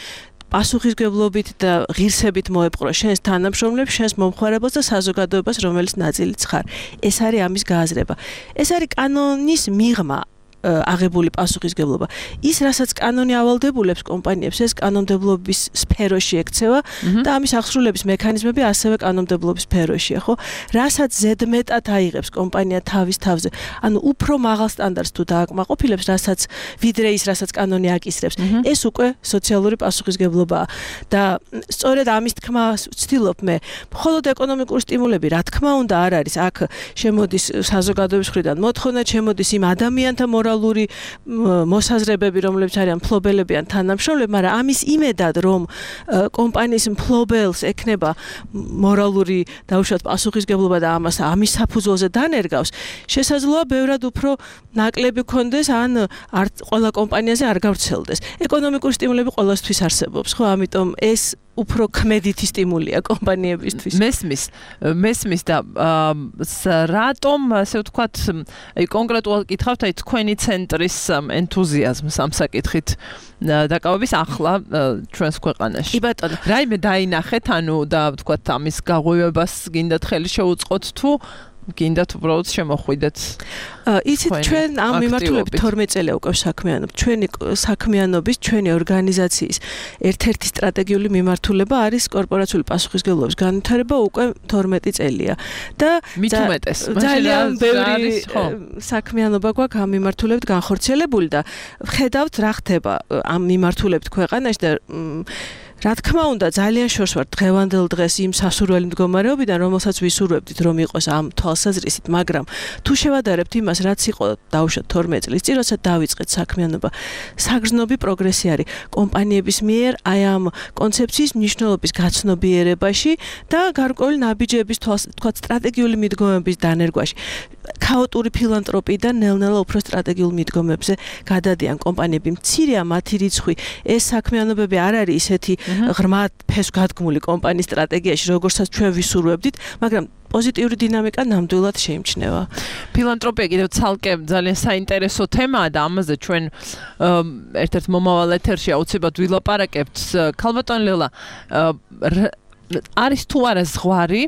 [SPEAKER 14] პასუხისმგებლობით და ღირსებით მოეპყრო შენს თანამშრომლებს, შენს მომხმარებელს და საზოგადოებას, რომელიც ნაწილიც ხარ. ეს არის ამის გააზრება. ეს არის კანონის მიღმა. აღებული პასუხისმგებლობა. ის, რასაც კანონი ავალდებულებს კომპანიებს, ეს კანონმდებლობის სფეროში ექცევა და ამის აღსრულების მექანიზმები ასევე კანონმდებლობის სფეროშია, ხო? რასაც ზედმეტად აიღებს კომპანია თავის თავზე, ანუ უფრო მაღალ სტანდარტს თუ დააკმაყოფილებს, რასაც ვიდრე ის, რასაც კანონი აკისრებს, ეს უკვე სოციალური პასუხისმგებლობაა. და სწორედ ამის თქმას ვცდილობ მე. მხოლოდ ეკონომიკური სტიმულები, რა თქმა უნდა, არ არის. აქ შემოდის საზოგადოების მხრიდან მოთხოვნა, შემოდის იმ ადამიანთა მორალური მოსაზრებები, რომლებიც არიან მფლობელები ან თანამშრომლები, მაგრამ ამის იმედად, რომ კომპანიის მფლობელს ექნება მორალური დაუშვათ პასუხისმგებლობა და ამას ამის საფუძველზე დანერგავს, შესაძლოა ბევრად უფრო ნაკლები გქონდეს ან არ ყველა კომპანიაზე არ გავრცელდეს. ეკონომიკური სტიმულები ყველასთვის არსებობს, ხო? ამიტომ ეს უფრო ქმედითი სტიმულია კომპანიებისთვის.
[SPEAKER 2] მესმის, მესმის და რატომ, ასე ვთქვათ, აი კონკრეტულად კითხავთ, აი თქვენი ცენტრის ენთუზიაზმს ამ საკითხით დაკავების ახლა ჩვენს ქვეყანაში.
[SPEAKER 14] კი ბატონო.
[SPEAKER 2] რაიმე დაინახეთ, ანუ და ვთქვათ, ამის გაღვივებას გინდათ ხელი შეუწყოთ თუ გინდათ უბრალოდ შემოხვიდეთ.
[SPEAKER 14] იცით, ჩვენ ამ მიმართულებით თორმეტ წელია უკვე საქმიანობთ. ჩვენი საქმიანობის, ჩვენი ორგანიზაციის ერთ-ერთი სტრატეგიული მიმართულება არის კორპორაციული პასუხისმგებლობის განვითარება უკვე თორმეტი წელია. და ძალიან ბევრი საქმიანობა გვაქვს ამ მიმართულებით განხორციელებული და ვხედავთ რა ხდება ამ მიმართულებით ქვეყანაში და რა თქმა უნდა, ძალიან შორს ვარ დღევანდელ დღეს იმ სასურველი მდგომარეობიდან, რომელსაც ვისურვებდით, რომ იყოს ამ თვალსაზრისით, მაგრამ თუ შევადარებთ იმას, რაც იყო დაუშვათ თორმეტ წლის წინ, როცა დავიწყეთ საქმიანობა, საგრძნობი პროგრესი არის კომპანიების მიერ აი ამ კონცეფციის მნიშვნელობის გაცნობიერებაში და გარკვეული ნაბიჯების თვალსაზრისით, სტრატეგიული მიდგომების დანერგვაში. ქაოტური ფილანტროპიიდან ნელ-ნელა უფრო სტრატეგიულ მიდგომებზე გადადიან კომპანიები. მცირეა მათი რიცხვი. ეს საქმიანობები არ არის ისეთი ღრმად ფესვგადგმული კომპანიის სტრატეგიაში, როგორცაც ჩვენ ვისურვებდით, მაგრამ პოზიტიური დინამიკა ნამდვილად შეიმჩნევა.
[SPEAKER 2] ფილანტროპია კიდევ ცალკე ძალიან საინტერესო თემაა და ამაზე ჩვენ ერთ-ერთ მომავალ ეთერში აუცილებლად ვილაპარაკებთ. ქალბატონ ლელა, არის თუ არა ზღვარი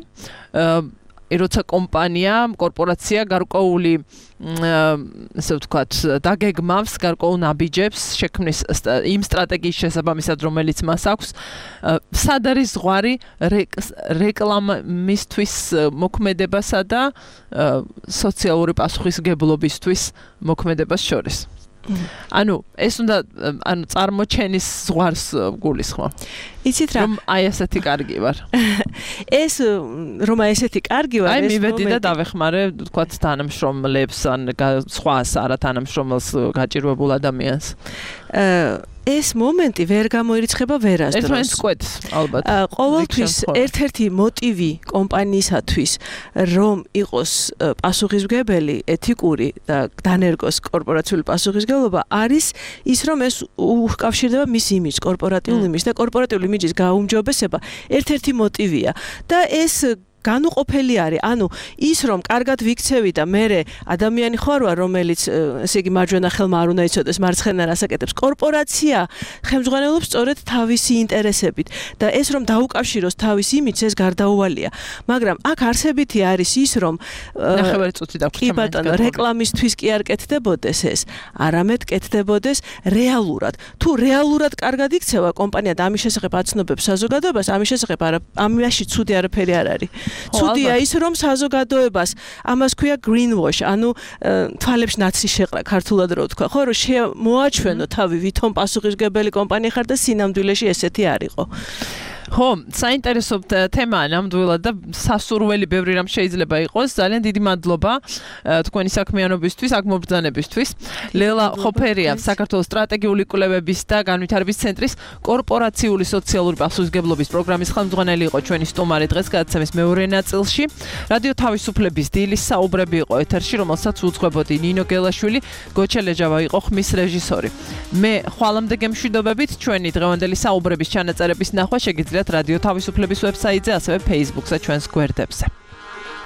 [SPEAKER 2] როცა კომპანია, კორპორაცია გარკვეული ასე ვთქვათ, დაგეგმავს გარკვეულ ნაბიჯებს შექმნის იმ სტრატეგიის შესაბამისად, რომელიც მას აქვს, სად არის ზღვარი რეკლამისთვის მოქმედებასა და სოციალური პასუხისმგებლობისთვის მოქმედებას შორის. ანუ ეს უნდა ანუ წარმოჩენის ზღვარს გულისხმობ.
[SPEAKER 14] იცით რა?
[SPEAKER 2] რომ აი ესეთი კარგი ვარ.
[SPEAKER 14] ეს რომ აი ესეთი კარგი ვარ,
[SPEAKER 2] ეს მომენტი. აი მივედი და დავეხმარე, თქვათ თანამშრომლებს ან სხვა არა თანამშრომელს გაჭირვებულ ადამიანს.
[SPEAKER 14] ეს მომენტი ვერ გამოირიცხება ვერასდროს.
[SPEAKER 2] ერთმანეთს კვეთს, ალბათ.
[SPEAKER 14] ყოველთვის ერთ-ერთი მოტივი კომპანიისათვის, რომ იყოს პასუხისმგებელი, ეთიკური და დანერგოს კორპორაციული პასუხისმგებლობა, არის ის, რომ ეს უკავშირდება მის იმიჯს, კორპორატიულ იმიჯს და კორპორატიული იმიჯის გაუმჯობესება ერთ-ერთი მოტივია. და ეს განუყოფელი არის, ანუ ის რომ კარგად ვიქცევი და მე ადამიანი ხარ ვარ, რომელიც ესე იგი მარჯვენა ხელმა არ უნდა იცოდეს, მარცხენა რასაკეთებს. კორპორაცია ხელმძღვანელობს სწორედ თავისი ინტერესებით და ეს რომ დაუკავშიროს თავის იმიჯს, ეს გარდაუვალია. მაგრამ აქ არსებითი არის ის, რომ
[SPEAKER 2] ნახევარი წუთი დაგვჭირდა.
[SPEAKER 14] კი ბატონო, რეკლამისთვის კი არ კეთდებოდეს ეს, არამედ კეთდებოდეს რეალურად. თუ რეალურად კარგად იქცევა კომპანია და ამის შესახებ აცნობებს საზოგადოებას, ამის შესახებ არა, ამაში ცუდი არაფერი არ არის. ცუდია ის რომ საზოგადოებას ამას ქვია greenwash, ანუ თვალებში ნაცრი შეყრა ქართულად რო ვთქვა, ხო, რომ მოაჩვენო თავი ვითომ პასუხისმგებელი კომპანია ხარ და სინამდვილეში ესეთი არ იყო.
[SPEAKER 2] ხო, საინტერესო თემაა ნამდვილად და სასურველი ბევრი რამ შეიძლება იყოს. ძალიან დიდი მადლობა თქვენი საქმიანობისთვის, აქ მობრძანებისთვის. ლელა ხოფერია, საქართველოს სტრატეგიული კვლევების და განვითარების ცენტრის კორპორაციული სოციალური პასუხისმგებლობის პროგრამის ხელმძღვანელი იყო ჩვენი სტუმარი დღეს გადაცემის მეორე ნაწილში. რადიო თავისუფლების დილის საუბრები იყო ეთერში, რომელსაც უძღვებოდი ნინო გელაშვილი, გოჩელეჯავა იყო ხმის რეჟისორი. მე ხვალამდე გემშვიდობებით, ჩვენი დღევანდელი საუბრების ჩანაწერების ნახვა შეგიძლიათ რადიო თავისუფლების ვებსაიტზე, ასევე Facebook-ზე ჩვენს გვერდებზე.